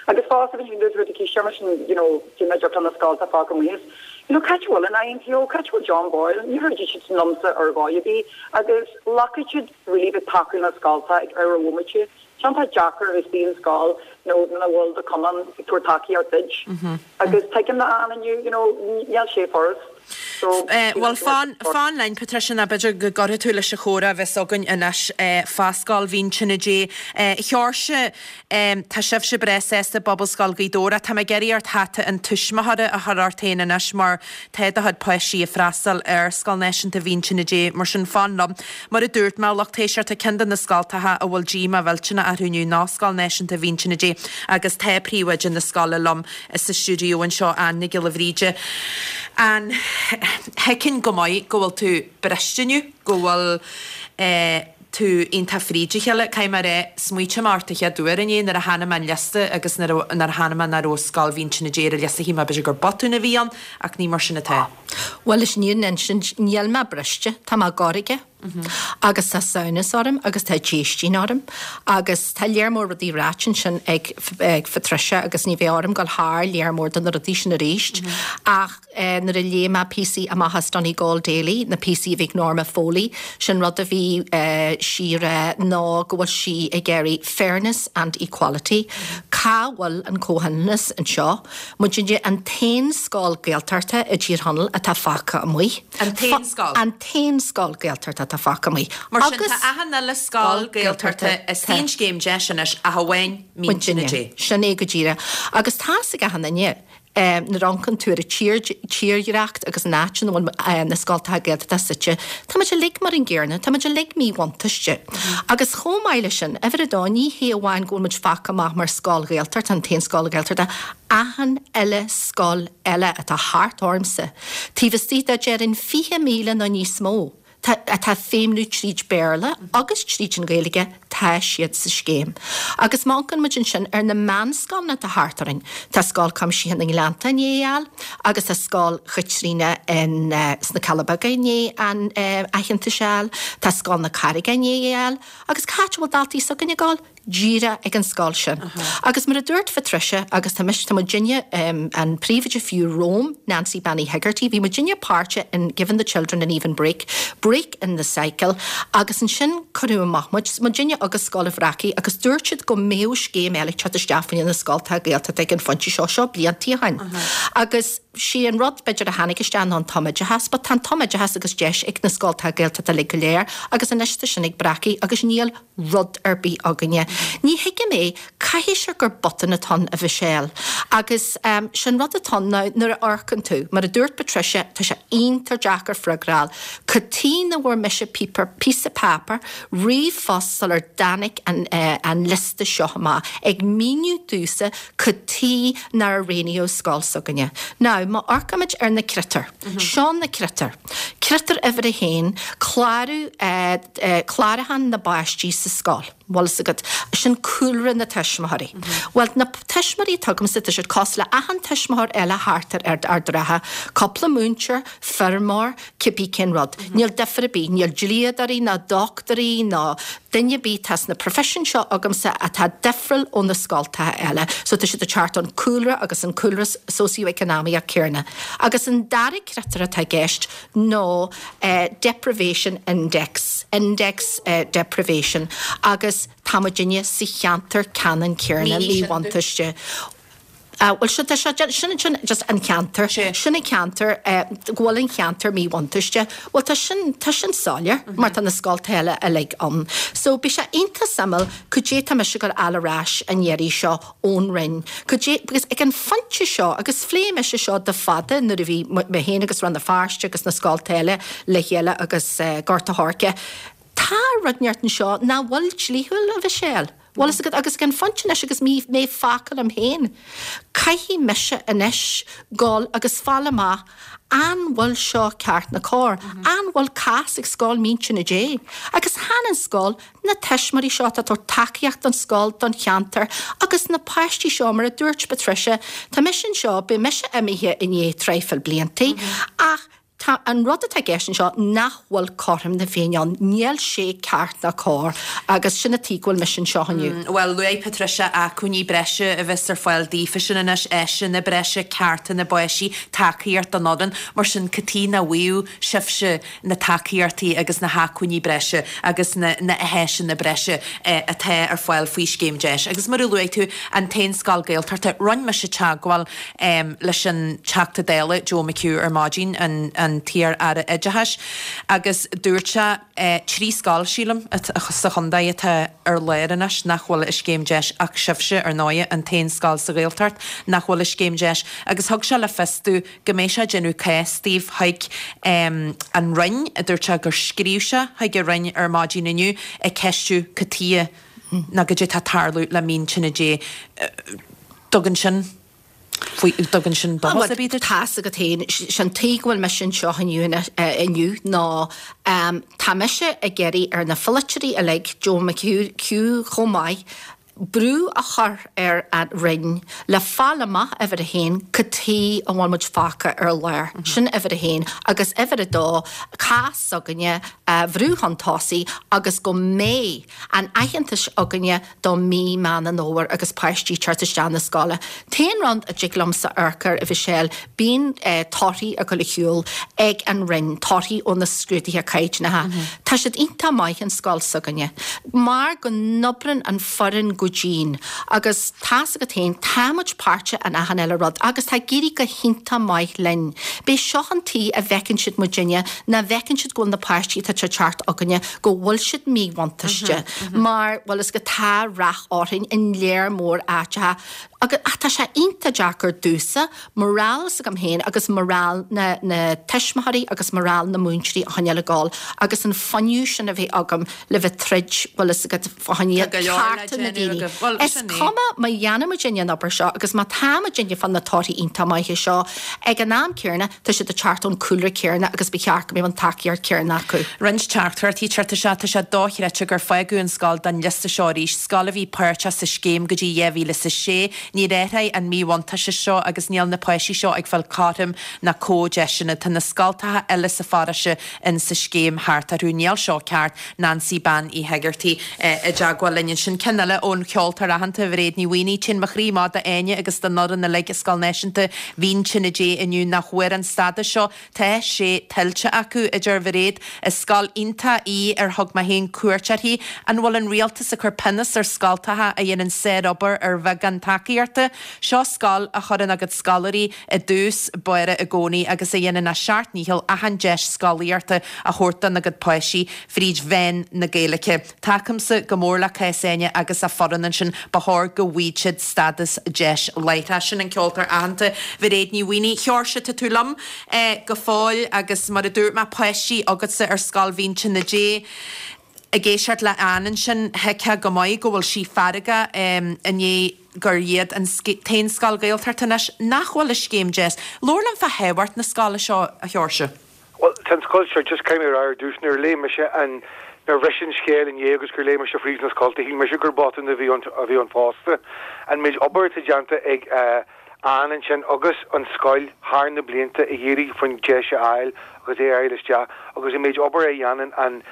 S5: Agus fosta bhí dúirt rud eicínt mar sin, you know, cé nach dtiocfadh na scolta fágtha amuigh as, you know, cá háit a bhfuil an INTO, cá háit a bhfuil John Boyle, níor throid siad liomsa ar dhóigh ar bith agus ghlacfaidh siad really bheith tacú na scolta ag ar a bhomaite. Tá sé deacair a bheith istigh in scoil nó nach bhfuil do chumann ag tabhairt tacaíocht duit. Agus tuigim do Ann inniu, you know, níl sé furast.
S1: So, Bhuel, fan, fan linn, Patricia, nó b'fhéidir go gcuirfidh tú leis an chomhrá a bheas againn anois fá Scoil Mhín Tine Dé. A Sheoirse, tá sibhse breá sásta i bPobalscoil Ghaoth Dobhair ach tá mé ag iarraidh ort hata an tuismitheora a chur ort féin anois mar tá do chuid páistí ag freastal ar Scoil Náisiúnta Mhín Tine Dé, mar sin fan liom. Mar a dúirt mé, a lucht éisteachta, ceann de na scoltacha a bhfuil díomá mhillteanach orthu inniu ná Scoil Náisiúnta Mhín Tine Dé agus tá príomhoide na scoile liom sa stiúideo anseo, Ann Nic Giolla Bhríde. Ann, thuigfinn go maith go bhfuil tú briste inniu, go bhfuil tú iontach fríd a chéile. Caithfidh mé a rá, smaoitigh mé ort an chéad uair inné nuair a chonaic mé an liosta agus nuair a chonaic mé nach raibh Scoil Mhín Tine Dé ar an liosta, shíl mé b'fhéidir gur botún a bhí ann ach ní mar sin atá.
S7: Bhuel, leis an fhírinne a insint, níl mé briste, tá mé gairge. Agus tá samhnas orm agus tá déistín orm. Agus tá léar mór rudaí ráite ansin ag ag Patricia agus ní bheidh orm dul thar léar mór de na rudaí sin arís. Ach nuair a léigh mé píosaí amach as Donegal Daily, na píosaí a bhí ag Norma Foley, sin rud a bhí sí a rá ná go bhfuil sí ag iarraidh fairness and equality. Cá bhfuil an comhionannas anseo? Muidinne an t-aon scoil Gaeltachta i dTír Chonaill atá fágtha amuigh.
S1: An t-aon scoil?
S7: An t-aon scoil Gaeltachta atá fágtha amuigh.
S1: Mar sin tá achan uile scoil Gaeltachta istigh in Scéim Deis anois ach amháin Mín Tine Dé.
S7: Sin é go díreach. Agus tá's ag achan duine, nuair a amharcann tú ar an tírdhreacht agus an áit ina bhfuil na scoltacha Gaeltachta suite, tá muid uilig mar an gcéarna, tá muid uilig míbhuntáiste. Agus chomh maith leis sin, uimhir a dó, ní hé amháin go bhfuil muid fágtha amach mar scoil Ghaeltachta, an t-aon scoil Ghaeltachta, achan uile scoil eile atá thart ormsa, taobh istigh de déarfainn 20,000 nó níos mó, tá, atá ag feidhmniú tríd Béarla agus tríd an Ghaeilge, tá siad sa scéim. Agus má amharcann muid ansin ar na meánscoileanna atá thart orainn, tá Scoil Cuimsithe na nGleannta i ndiaidh a fháil agus tá Scoil Chaitríona in, sna Cealla Beaga i ndiaidh an aitheantas a fháil, tá Scoil na Carraige i ndiaidh a fháil agus cá háit a bhfuil daltaí s'againne ag dul? díreach ag an scoil sin. Agus mar a dúirt Patricia, agus tá mise, tá muidinne, an príomhoide fiú romham, Nancy Bean Uí Hegarty, bhí muidinne páirteach in Giving the Children an Even Break, Break in the Cycle, agus ansin cuireadh amach muid, muidinne agus Scoil an Bhreacaigh, agus dúirt siad go mbeadh scéim eile ag teacht isteach faoi na scoltacha Gaeltachta ag an phointe seo, seo bliantaí ó shin. Agus sé an rud b'fhéidir a tháinig isteach ná an tumoideachas, but tá an tumoideachas agus deis ag na scoltacha Gaeltachta uilig go léir, agus anois tá sin ag breacadh agus níl rud ar bith againne. Ní thuigim é, caithfidh sé gur botún atá ann, a Mhichelle. Agus sin rud atá ann now, nuair a amharcann tú, mar a dúirt Patricia, tá sé iontach deacair freagra a fháil. Cad tuighe nach bhfuair mise píopa, píosa páipéir, ríomhphost sular dtáinig an, an liosta seo amach, ag míniú domhsa cad tuighe nár roghnaíodh scoil s'againne. Now, má amharcaimid ar na critéir, seo na critéir. Critéar uimhir a haon, clárú, clárúchán na bpáistí sa scoil. Bhfuil fhios agat, sin cúlra na tuismitheoirí. Bhuel, na tuismitheoirí atá agamsa, tá siad cosúil le achan tuismitheoir eile thart ar Ard an Rátha, cúpla múinteoir, feirmeoir, cibé cén rud. Níl difear ar bith, níl dlíodóirí ná dochtúirí ná duine ar bith atá sna professions seo agamsa atá difriúil ó na scoltacha eile. So tá siad ag teacht ón cúlra agus an cúlra socio-economic céarna. Agus an dara critéar atá i gceist ná deprivation index, index deprivation, agus tá muidinne sa cheantar ceannann céarna, míbhuntáiste. Bhuel, seo, tá sé, sin, sin just an ceantar, sin an ceantar, go bhfuil an cheantar míbhuntáiste. Bhuel, tá sin, tá sin soiléir mar tá na scoltacha eile uilig ann. So, beidh sé iontach suimiúil cad é tá mise ag goil a fháil ar ais an iarraidh seo ón Roinn. Cad é, because ag an phointe seo, agus phléigh mise seo le fada nuair a bhí mé féin agus Rann na Feirste agus na scoltacha eile le chéile agus Gort a' Choirce, tá rud inteacht anseo nach bhfuil dlíthiúil, a Mhichelle. Bhfuil fhios agat, agus ag an phointe anois agus mé mé fágtha liom féin, caithfidh mise anois dul agus fáil amach an bhfuil seo ceart nó cóir, an bhfuil cás ag Scoil Mín Tine Dé, agus chan an scoil, na tuismitheoirí seo atá ag tabhairt tacaíocht don scoil, don cheantar agus na páistí seo, mar a dúirt Patricia, tá mise anseo, beidh mise imithe i ndiaidh traidhfil bliantaí ach tá an rud atá i gceist anseo nach bhfuil cothrom na Féinne ann, níl sé ceart ná cóir agus sin an tuige go bhfuil mise anseo inniu.
S1: Bhuel, luaigh Patricia acmhainní breise a bheas ar fáil daofasan anois, áiseanna breise, cearta na bpáistí, tacaíocht don fhoireann, mar sin cad tuige nach bhfaigheadh sibhse na tacaíochtaí agus na hacmhainní breise agus na na háiseanna breise atá ar fáil faoi Scéim Deis. Agus mar a luaigh tú, an t-aon scoil Gaeltachta, rinne mise teagmháil leis an Teachta Dála Joe McHugh ar maidin, an an t-iar-Aire Oideachais, agus dúirt sé 3 scoil, sílim, sa chontae atá ar lár anois nach bhfuil i Scéim Deis ach sibhse, ar ndóigh, an t-aon scoil sa Ghaeltacht nach bhfuil i Scéim Deis. Agus thug sé le fios domh go mbeidh sé ag déanamh cás daoibh chuig an Roinn. Dúirt sé gur scríobh sé chuig an Roinn ar maidin inniu ag ceistiú cad tuighe nó goidé tá ag tarlú le Mín Tine Dé. Dtugann sin faoi, dtugann sin dóchas ar bith duit?
S7: Tá's agat féin, sin tuige go bhfuil mise anseo inniu inniu ná tá mise ag iarraidh ar na pholaiteoirí uilig, Joe McHugh chomh maith, brú a chur ar an Roinn le fáil amach, uimhir a haon, cad tuige a bhfuil muid fágtha ar lár. Sin uimhir a haon. Agus uimhir a dó, cás s'againne a bhrú chun tosaigh agus go mbeidh an aitheantas againne do mí Meán an Fhómhair agus páistí teacht isteach na scoile. T-aon rud a dtig liomsa amharc air, a Mhichelle, bíonn torthaí ag dul ar shiúl ag an Roinn, torthaí ó na scrúduithe caighdeánacha. Tá siad iontach maith an scoil s'againne. Mar go n-oibreann an foireann. go dian agus tá's agat féin, tá muid páirteach in achan uile rud agus tá ag éirí go hiontach maith linn. B'é seo an tuige a bhfeiceann siad muidinne, ná bhfeiceann siad go bhfuil na páistí atá ag teacht chugainne, go bhfuil siad míbhuntáiste mar, bhfuil fhios agat, tá rath orainn in léar mór áiteacha agus, ach tá sé iontach deacair domhsa morale s'agam féin agus morale na na tuismitheoirí agus morale na múinteoirí a choinneáil ag dul agus an fuinneamh sin a bheith agam le bheith troid bhfuil fhios agat fá choinne
S1: Tá go leor le
S7: cearta na
S1: déanamh
S7: daoine.
S1: agaibh. Bhuel,
S7: Is
S1: sin é.
S7: cuma má dhéanann muidinne an obair seo agus má tá muidinne fá na torthaí iontach maithe seo, ag an am céanna tá siad ag teacht ón cúlra céanna agus ba cheart go mbeadh an tacaíocht chéanna acu.
S1: Roinnt teachtaireachtaí ag teacht isteach, tá sé dochreidte gur fágadh an scoil den liosta seo arís, scoil a bhí páirteach sa scéim go dtí 2006. Níor athraigh an míbhuntáiste seo agus níl na páistí seo ag fáil cothrom ná comhdheiseanna. Tá na scoltacha eile sa pharóiste in sa scéim thart orthu. Níl seo ceart. Nancy Bean Uí hEigeartaigh i dteagmháil linn ansin. Ceann eile ón cheoltóir aitheanta Mhairéad Ní Mhaonaigh. Téann mo chroí amach d'Áine agus don fhoireann uilig i Scoil Náisiúnta Mhín Tine Dé inniu nach bhfuair an stádas seo. Tá sé tuillte acu, a deir Mhairéad. Is scoil iontach í ar thug mé féin cuairt uirthi. An bhfuil an rialtas ag cur pionós ar scoltacha a dhéanann sárobair ar bheagán tacaíochta? Seo scoil a chuireann a gcuid scoláirí i dtús báire i gcónaí agus a dhéanann a seacht ndícheall achan deis scolaíochta a thabhairt dona gcuid páistí fríd mheán na Gaeilge. Tacaímse go mór le cás Áine agus a foireann ansin, ba chóir go bhfaigheadh siad stádas deis láithreach. Sin an ceoltóir aitheanta Mhairéad Ní Mhaonaigh. Sheoirse, tá tú liom go fóill agus mar a dúirt mé, páistí agatsa ar Scoil Mhín Tine Dé. Ag éisteacht le Ann ansin, thuigfeá go maith go bhfuil sí feargach i ndiaidh gur iad an t-aon scoil Ghaeltachta anois nach bhfuil i scéim DEIS. Labhair liom fá thábhacht na scoile seo, a Sheoirse.
S6: Bhuel, tá an scoil seo, just caithfidh mé a rá ar dtús, nuair a léigh mise an, nuair a bhris an scéal inné agus gur léigh mise fríd na scolta, shíl mise gur botún a bhí ann, a bhí ann fosta. An méid obair atá déanta ag Ann ansin agus an scoil thar na blianta ag iarraidh faoin deis a fháil agus é a fháil isteach agus an méid obair a dhéanann an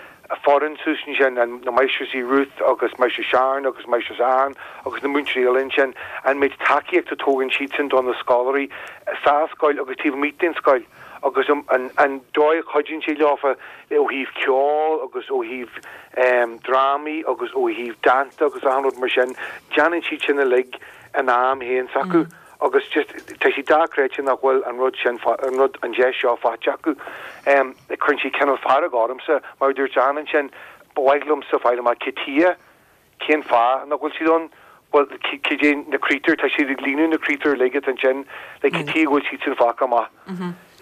S6: foireann suas ansin, an, na máistreasaí Ruth agus Máistreas Sharon agus Máistreas Ann agus na múinteoirí eile ansin, an méid tacaíocht a tugann siadsan do na scoláirí sa scoil agus taobh amuigh den scoil. agus an dóigh a chuidíonn sé leofa ó thaobh ceoil agus ó thaobh drámaí agus ó thaobh dánta agus achan rud mar sin, déanann siad sin uilig in am féin s'acu agus just tá sé dochreidte nach bhfuil an rud sin, an rud, an deis seo faighte acu. Cuireann sé cineál fearg ormsa, mar a dúirt Ann ansin, ba mhaith liomsa fáil amach cad chuige Cén fáth nach bhfuil siad ann? Bhuel, cad é na critéir? Tá siad ag líonadh na critéir uilig atá ansin. Like, cad chuige go bhfuil siad sin fágtha amach?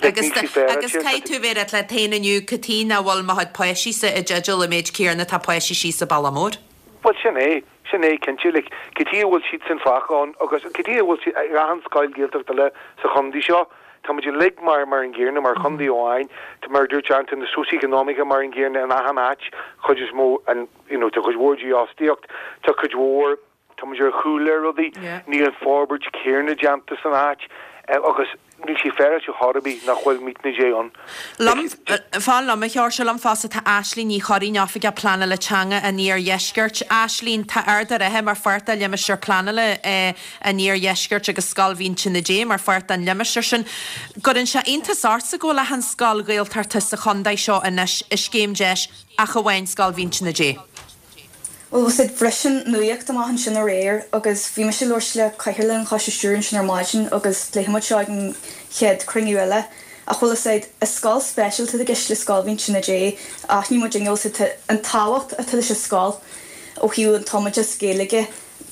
S6: Like,
S1: Agus
S6: níl sé féaráilte.
S1: agus caithfidh tú bheith ag rá leat féin inniu, cad chuige nach bhfuil mo chuid páistí-sa i dteideal an méid céanna atá páistí síos sa Baile Mór?
S6: Bhuel, sin é. Sin é, cinnte. Like, cad chuige a bhfuil siad sin fágtha ann agus cad chuige a bhfuil siad ag achan scoil Ghaeltacht eile sa chontae seo? Tá muid uilig mar mar an gcéanna, mar chontae amháin. Tá, mar a dúirt Ann, tá na socheconomic mar an gcéanna in achan áit, chuid is mó an, you know, tá cuid mhór dífhostaíocht, tá cuid mhór, tá muid ar chúl ar rudaí, níl an forbairt céanna déanta san áit agus níl sé féaráilte chor ar bith nach bhfuil Mín Tine Dé ann.
S1: Liom, fan liom a Sheoirse, liom fosta tá Aislínn Ní Churraoin, Oifigeach Pleanála Teanga an Iardheiscirt. Aislínn, tá Ard a' Rátha mar pháirt de limistéar pleanála an Iardheiscirt agus Scoil Mhín Tine Dé mar pháirt den limistéar sin. Gcuireann sé iontas ortsa go bhfuil achan scoil Ghaeltachta sa chontae seo anois i scéim deis ach amháin Scoil Mhín Tine Dé.
S8: Bhuel, bhfuil 's a'd, bhris an nuaíocht amach ansin aréir agus bhí mise ag labhairt le Cathaoirleach an Choiste Stiúrtha ansin ar maidin agus pléifidh muid seo ag an chéad cruinniú eile. Ach bhfuil 'fhios a'd, is scoil speisialta atá i gceist le Scoil Mhín Tine Dé. Aithníonn muid inniu, bhfuil 's a'd, an tábhacht atá leis an scoil ó thaobh an tumoideas Gaeilge.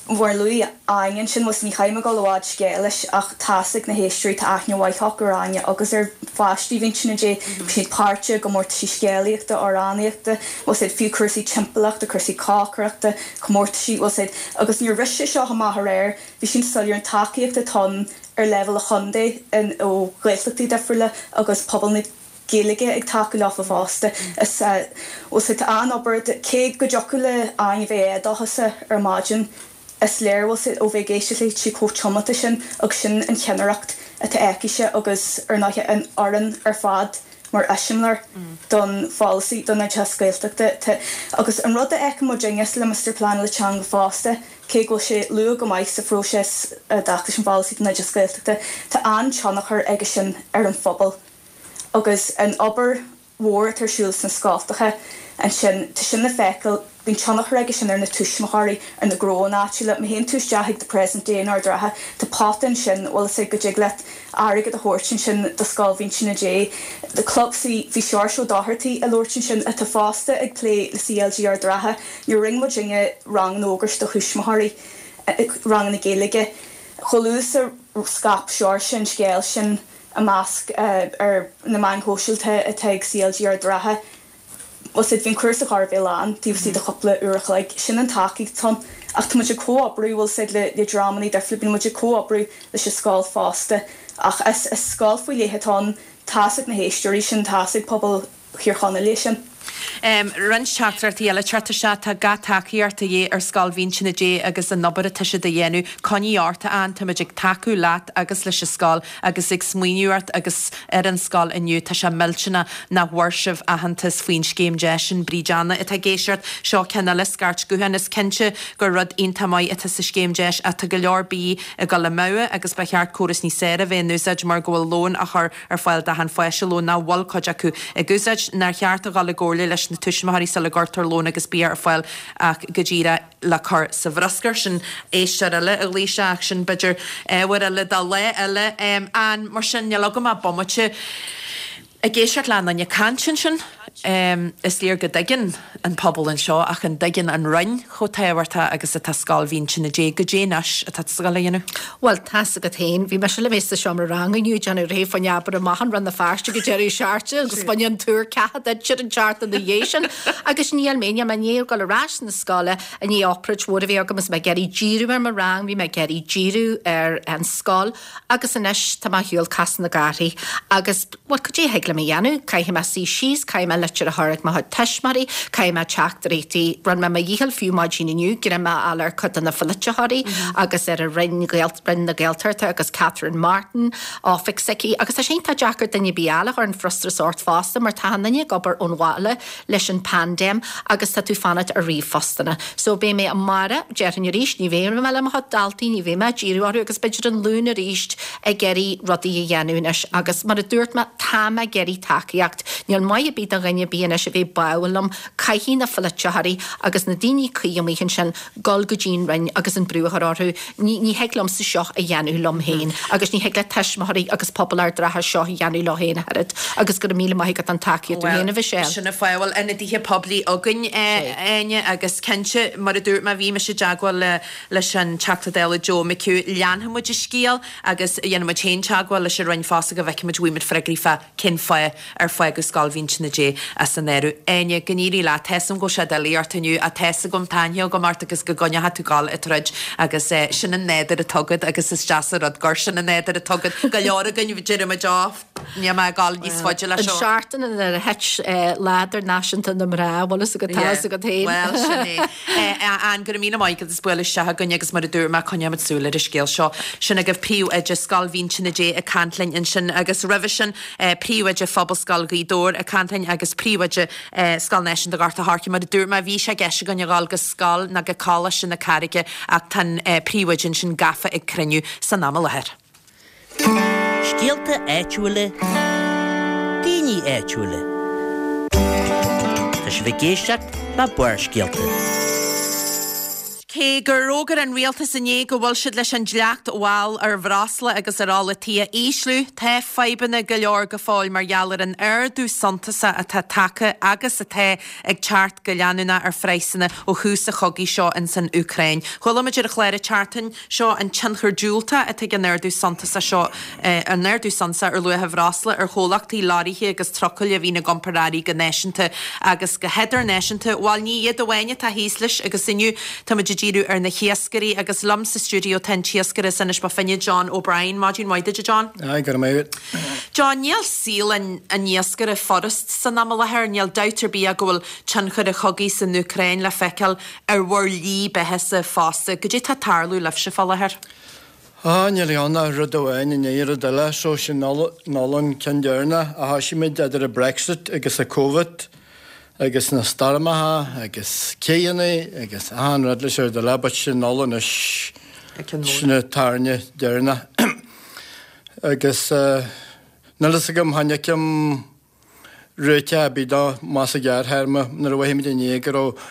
S8: Mar a luaigh Áine ansin, bhfuil 's a'd, ní chaithfidh mé dul i bhfad scéil leis ach tá's ag na héisteoirí, tá aithne mhaith acu ar Áine agus ar pháistí Mhín Tine Dé. Bíonn siad páirteach i gcomórtaisí scéalaíochta, amhránaíochta, bhfuil 's a'd, fiú cúrsaí timpeallachta, cúrsaí cócaireachta, comórtaisí, bhfuil 's a'd. Agus nuair a bhris sé seo amach aréir, bhí sin soiléir an tacaíocht atá ann ar leibhéal an chontae ó Ghaeltachtaí difriúla agus pobal na. Gaeilge ag tacú leofa fosta. Is bhfuil 's a'd, tá an-obair, cé go dtiocfadh le Áine bheith éadóchasach ar maidin, is léir, bhfuil 's a'd, ó bheith ag éisteacht léi, tá sí chomh tiomanta sin agus sin an cheannaireacht atá aicise agus ar ndóighe an fhoireann ar fad mar eiseamláir don pholasaí don oideachas Gaeltachta. Tá, agus an rud a fheiceann muidinne sa Limistéar Pleanála Teanga fosta, cé go bhfuil sé luath go maith sa phróiseas i dtaca leis an pholasaí don oideachas Gaeltachta, tá an-tionchar aige sin ar an phobal. Agus an obair mhór atá ar siúl sna scoltacha ansin, tá sin le feiceáil. Bíonn tionchar aige sin ar na tuismitheoirí, ar na gnóanna áitiúla. Má théann tú isteach ag The Present Day in Ard an Rátha, tá pota ansin, bhfuil fhios a'd, go dtig leat airgead a thabhairt ansin do Scoil Mhínse na Dé. The Club C, bhí Seoirse Ó Dochartaigh ag labhairt ansin, atá fosta ag plé le CLG Ard an Rátha. Níor rinne muidinne ranganna Ógrais do thuismitheoirí, ranganna Gaeilge. Chomh luath is a scaip Seoirse an scéal sin i measc ar na meáin shóisialta atá ag CLG Ard an Rátha, bhfuil fhios a'd, bhí an cúrsa chóir a bheith lán taobh istigh de chúpla uair a chloig. Sin an tacaíocht atá ann. Ach tá muid ag comhoibriú, bhfuil fhios a'd, le le dreamanna difriúla, bíonn muid ag comhoibriú leis an scoil fosta. Ach is is scoil faoi leith atá ann, tá's ag na héisteoirí sin, tá's ag pobal Thír Chonaill é sin.
S1: Roinnt teachtaireachtaí eile ag teacht isteach, tá gach tacaíocht de dhíth ar Scoil Mhínse na Dé agus an obair atá siad a dhéanamh. Coinnigh ort a Ann, táimid ag tacú leat agus leis an scoil agus ag smaoineamh ort agus ar an scoil inniu. Tá sé millteanach nach bhfuair sibh aitheantas faoin scéim deis sin. Bríd Anna atá ag éisteacht. Seo ceann eile, scairt gutháin. Is cinnte gur rud iontach maith atá sa scéim deis ach tá go leor bídh ag dul amú agus ba cheart córas níos fearr a bheith in úsáid mar go bhfuil lón á chur ar fáil d'achan pháiste, lón nach bhfuil cuid acu ag úsáid. Nár cheart a dhul i gcomhairle leis na tuismitheoirí sula gcuirtear lón agus bia ar fáil ach go díreach le cur sa bhruscar. Sin éisteoir eile a ghlaoigh isteach ach sin b'fhéidir ábhar eile do lá eile. Ann, mar sin, níl agam ach bomaite ag éisteacht le achan duine ag caint ansin. Is léir go dtuigeann an pobal anseo ach an dtuigeann an Roinn chomh tábhachtach agus atá Scoil Mhínse na Dé? Goidé anois atá tú ag dul a dhéanamh?
S7: Bhuel, tá's agat féin, bhí mise le bheith sa seomra ranga inniu ag déanamh réidh fá choinne obair amach in Rann na Feirste go deireadh seachtaine agus bhain an tuar ceatha duit ar an tseachtain ina dhiaidh sin agus níl mé, níl mé i ndiaidh dul ar ais na scoile i ndiaidh obráid mhór a bheith agam is mé ag iarraidh díriú ar mo rang, bhí mé ag iarraidh díriú ar an scoil agus anois tá mé ar shiúl Casadh na gCártaí agus Bhuel, cad é a thig liom a dhéanamh? Caithfidh mé suí síos, caithfidh mé litir a chur ag mo chuid tuismitheoirí, caithfidh mé teachtaireachtaí, rinne mé mo dhícheall fiú maidin inniu, greim a fháil ar cuid de na polaititheoirí agus ar an Roinn, Roinn na Gaeltachta agus Catherine Martin, oifig s'aici, agus tá sé iontach deacair duine ar bith eile a chuireann frustrachas ort fosta mar tá an duine ag obair ón bhaile leis an paindéim agus tá tú fanacht ar ríomhphostanna. So beidh mé amárach, déarfainn arís, ní bheidh mé le mo chuid daltaí, ní bheidh mé ag díriú orthu agus b'fhéidir an Luan arís, ag iarraidh rudaí a dhéanamh anois agus mar a dúirt mé, tá mé ag iarraidh tacaíocht. Níl maith ar bith do dhuine ar bith anois a bheith báúil liom. Caithfidh na polaititheoirí agus na daoine cuí amuigh ansin dul go dtí an Roinn agus an brú a chur orthu. Ní, ní thig liomsa seo a dhéanamh liom féin agus ní thig le tuismitheoirí agus pobal Ard an Rátha seo a dhéanamh leo féin ach oiread. Agus go raibh míle maith agat don tacaíocht tú féin, a Mhichelle.
S1: Sin an fáth a bhfuil ionadaithe poiblí againn, Áine, agus cinnte, mar a dúirt mé, bhí mise i dteagmháil le leis an Teachta Dála Joe McHugh. Leanfaidh muid an scéal agus dhéanfaidh muid féin teagmháil leis an Roinn fosta go bhfeicfidh muid, bhfaighidh muid freagraí fá cén fáth ar fágadh Scoil Mhínse na Dé as an áireamh. Áine, go n-éirí leat. Tá's agam go bhfuil sé doiligh ort inniu ach tá's agam, tá aithne agam ort agus go gcoinneochaidh tú dul ag troid agus sin an nádúr atá agat agus is deas an rud gur sin an nádúr atá agat. Go leor againn, deirimid Ó, níl mé ag dul níos faide leis
S7: seo. An seachtain ina ar thit Lá Idirnáisiúnta na Mná, bhfuil fhios agat, tá fhios agat féin.
S1: Bhuel, sin é. Ann, go raibh míle maith agat as bualadh isteach againn agus mar a dúirt mé, coinneoimid súil ar an scéal seo. Sin agaibh Príomhoide Scoil Mhínse na Dé ag caint linn ansin agus roimhe sin, Príomhoide Phobalscoil Ghaoth Dobhair ag caint linn agus Príomhoide Scoil Náisiúnta Ghort a' Choirce. Mar a dúirt mé, bhí sé i gceist againn a dhul go scoil nó go Coláiste na Carraige ach tá an Príomhoide ansin gafa ag cruinniú san am i láthair.
S4: Scéalta áitiúla, daoine áitiúla. Tá sibh ag éisteacht le Barrscéalta.
S1: Cé gur fhógair an rialtas inné go bhfuil siad leis an dleacht mháil ar bhreosla agus ar ola tí a ísliú, tá fadhbanna go leor go fóill mar gheall ar an ardú suntasach atá tagtha agus atá ag teacht go leanúnach ar phraghsanna ó thús an chogaidh seo ins an Úcráin. Chuala muid ar an chlár an tseachtain seo an tionchar diúltach atá ag an ardú suntasach seo, an ardú suntasach ar luach an bhreosla ar chomhlachtaí leoraithe agus trucailí a bhíonn ag iompar earraí go náisiúnta agus go hidirnáisiúnta. Bhuel, ní iad amháin atá thíos leis agus inniu táimid ag díriú ar na hiascairí agus liom sa stiúideo tá an t-iascaire as Inis Bó Finne, John O'Brien. Maidin mhaith duit, a John.
S9: Aye, go raibh maith agat.
S1: John, níl saol an iascaire furast san am i láthair, níl dabht ar bith ach go bhfuil tionchar an chogaidh san Úcráin le feiceáil ar bhur slí beathasa fosta. Goidé tá ag tarlú libhse fá láthair?
S9: Á, níl ann ach rud amháin i ndiaidh rud eile, so sin an ceann deireanach a thoisigh muid idir an Brexit agus an Covid agus na stoirmeacha agus céanna agus achan rud leis ar rud eile, but sin anois, sin an tairne deireanach. Agus níl fhios agam, chan fheicim réiteach ar bith dó, más i gearrthéarma, nuair a mhothaigh muid inné go raibh.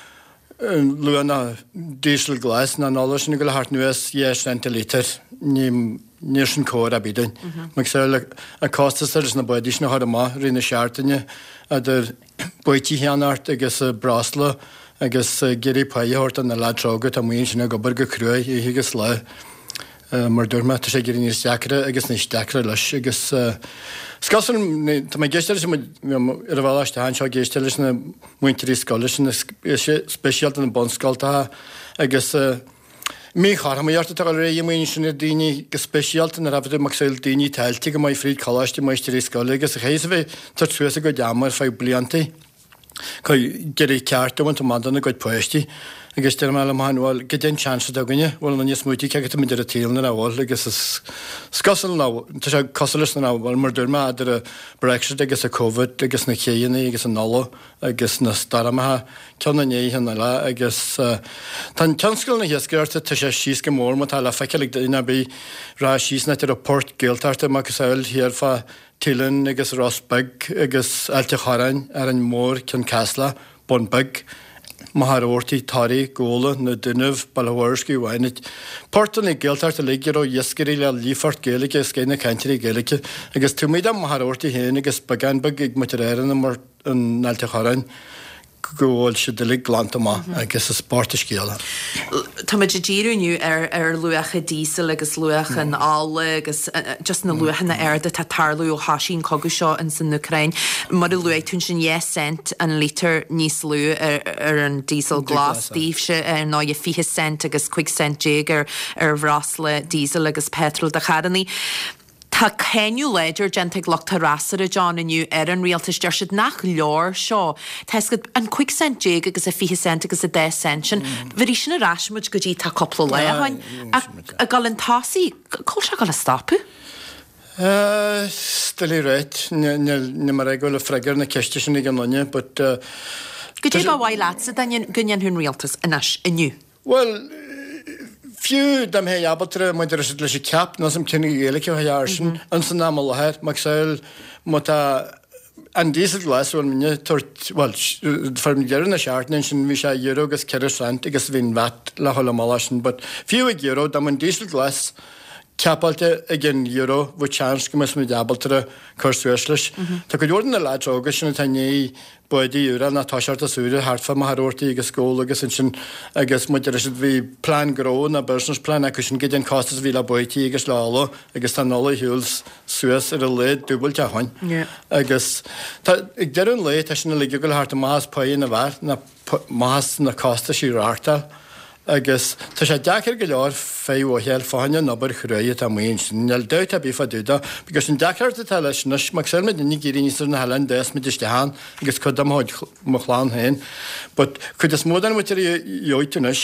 S9: Luach an diesel glas ná an ola sin ag dul thart anuas 2 cent an lítear. Ní níl sin cóir ar bith dúinn. Macasamhail an costas atá leis na bádaí sin a chur amach i rith na seachtaine idir baoití a cheannacht agus breosla agus ag iarraidh pá a thabhairt do na leaids óga atá amuigh ansin ag obair go cruaidh oíche agus lá. Mar a dúirt mé, tá sé ag éirí níos deacra agus níos deacra leis agus is cosúil, tá mé ag éisteacht leis ar an bhealach isteach anseo ag éisteacht leis na múinteoirí scoile sin, speisialta na bunscoltacha agus míchothromaíocht atá ag dul ar aghaidh amuigh ansin ar daoine go speisialta nuair a bheadh macasamhail daoine atá oilte go maith fríd choláiste máistrí scoile agus a chaithfidh a bheith ag tabhairt suas a gcuid ama ar feadh bliantaí. Ag iarraidh ceart a bhaint amach dona gcuid páistí agus deir mé liom féin, bhuel, goidé an chance atá againne, bhuel, an smaoitigh cé acu tá muid ar an tsaol nuair a bhfuil agus is cosúil ná, tá sé cosúil leis nach bhfuil, mar dúirt mé, idir an Brexit agus an Covid agus na céanna agus an ola agus na stoirmeacha, ceann i ndiaidh an eile agus tá an tionscal na hiascaireachta, tá sé síos go mór má tá le feiceáil ag duine ar bith, rá síos an áit a raibh port Gaeltachta macasamhail thiar fá Teileann agus Ros Beag agus Ailt a' Chorráin, Árainn Mhór, Cionn Caslach, Bun Beag, Machaire Rabhartaigh, Toraigh, Gabhla, Na Dúnaibh, Baile Mhúirne, Mhaigh Portanna Gaeltachta uilig a raibh iascairí le líofacht Gaeilge agus scoith na cainteoirí Gaeilge agus taobh amuigh de Mhachaire Rabhartaigh féin agus beagán beag ag muintir Árann in Ailt a' Chorráin. go bhfuil siad uilig glanta amach agus is bocht an scéal é.
S1: Táimid ag díriú inniu ar ar luacha díosail agus luach an ola agus just na luachanna arda atá ag tarlú ó thoisigh an cogadh seo ins an Úcráin. Mar a luaigh tú ansin 2 cent an lítear níos lú ar ar an díosal glas daoibhse ar ndóigh 20 cent agus 15 cent ar ar bhreosla díosail agus petrol do charrannaí. Tá cáineadh láidir déanta ag lucht an fhreasúra, John, inniu ar an rialtas. Deir siad nach leor seo. Tá fhios agat, an 15 cent agus an 20 cent agus an dá cent sin, bhéarfaidh sin ar ais muid go dtí tá cúpla lá ó shin. Ach ag dul chun tosaigh, cá bhfuil sé ag dul a stopadh?
S9: Is doiligh ráit. Níl mé ag rá go bhfuil freagra ar na ceiste sin ag aon duine, but.
S1: Goidé ba mhaith leatsa go ndéanfadh an rialtas anois, inniu?
S9: Bhuel, fiú dá mbeifí ábalta maidir leis an cap, níl 's a'm cén Ghaeilge a bheadh air sin, ins an am i láthair, macasamhail má tá an diesel glas bhfuil muidne ag tabhairt, bhuel, fá dheireadh na seachtaine ansin bhí sé euro agus 4 cent agus bhí an VAT le dhul amach leis sin, but fiú ag euro, dá mbeadh an diesel glas capáilte ag an euro, bheadh chance go mbeadh muid ábalta cur suas leis. Tá cuid mhór de na lads óga sin atá i ndiaidh bádaí úra ná toiseacht as úra thart fá Machaire Rabhartaigh agus Gabhla agus ansin agus muid ar siad bhí plean gnó ná business plan acu sin goidé an costas a bhí le baoití agus le ola agus tá an ola ar shiúl suas ar a laghad dúbailte ó shoin agus tá ag deireadh an lae tá sin uilig ag dul thart amach as páighe na bhfear ná amach as na costaisí reáchtáil agus tá sé deacair go leor feidhm a fháil fá choinne an obair chruaidh atá amuigh ansin. Níl dabht ar bith fá dtaobh dó because an deacracht atá leis anois, macasamhail muidinne ag éirí aníos ar na hoileáin d'fhás muid isteach ann agus cuid de mo mo chlann féin but cuid is mó den mhuintir a gheobhaidh tú anois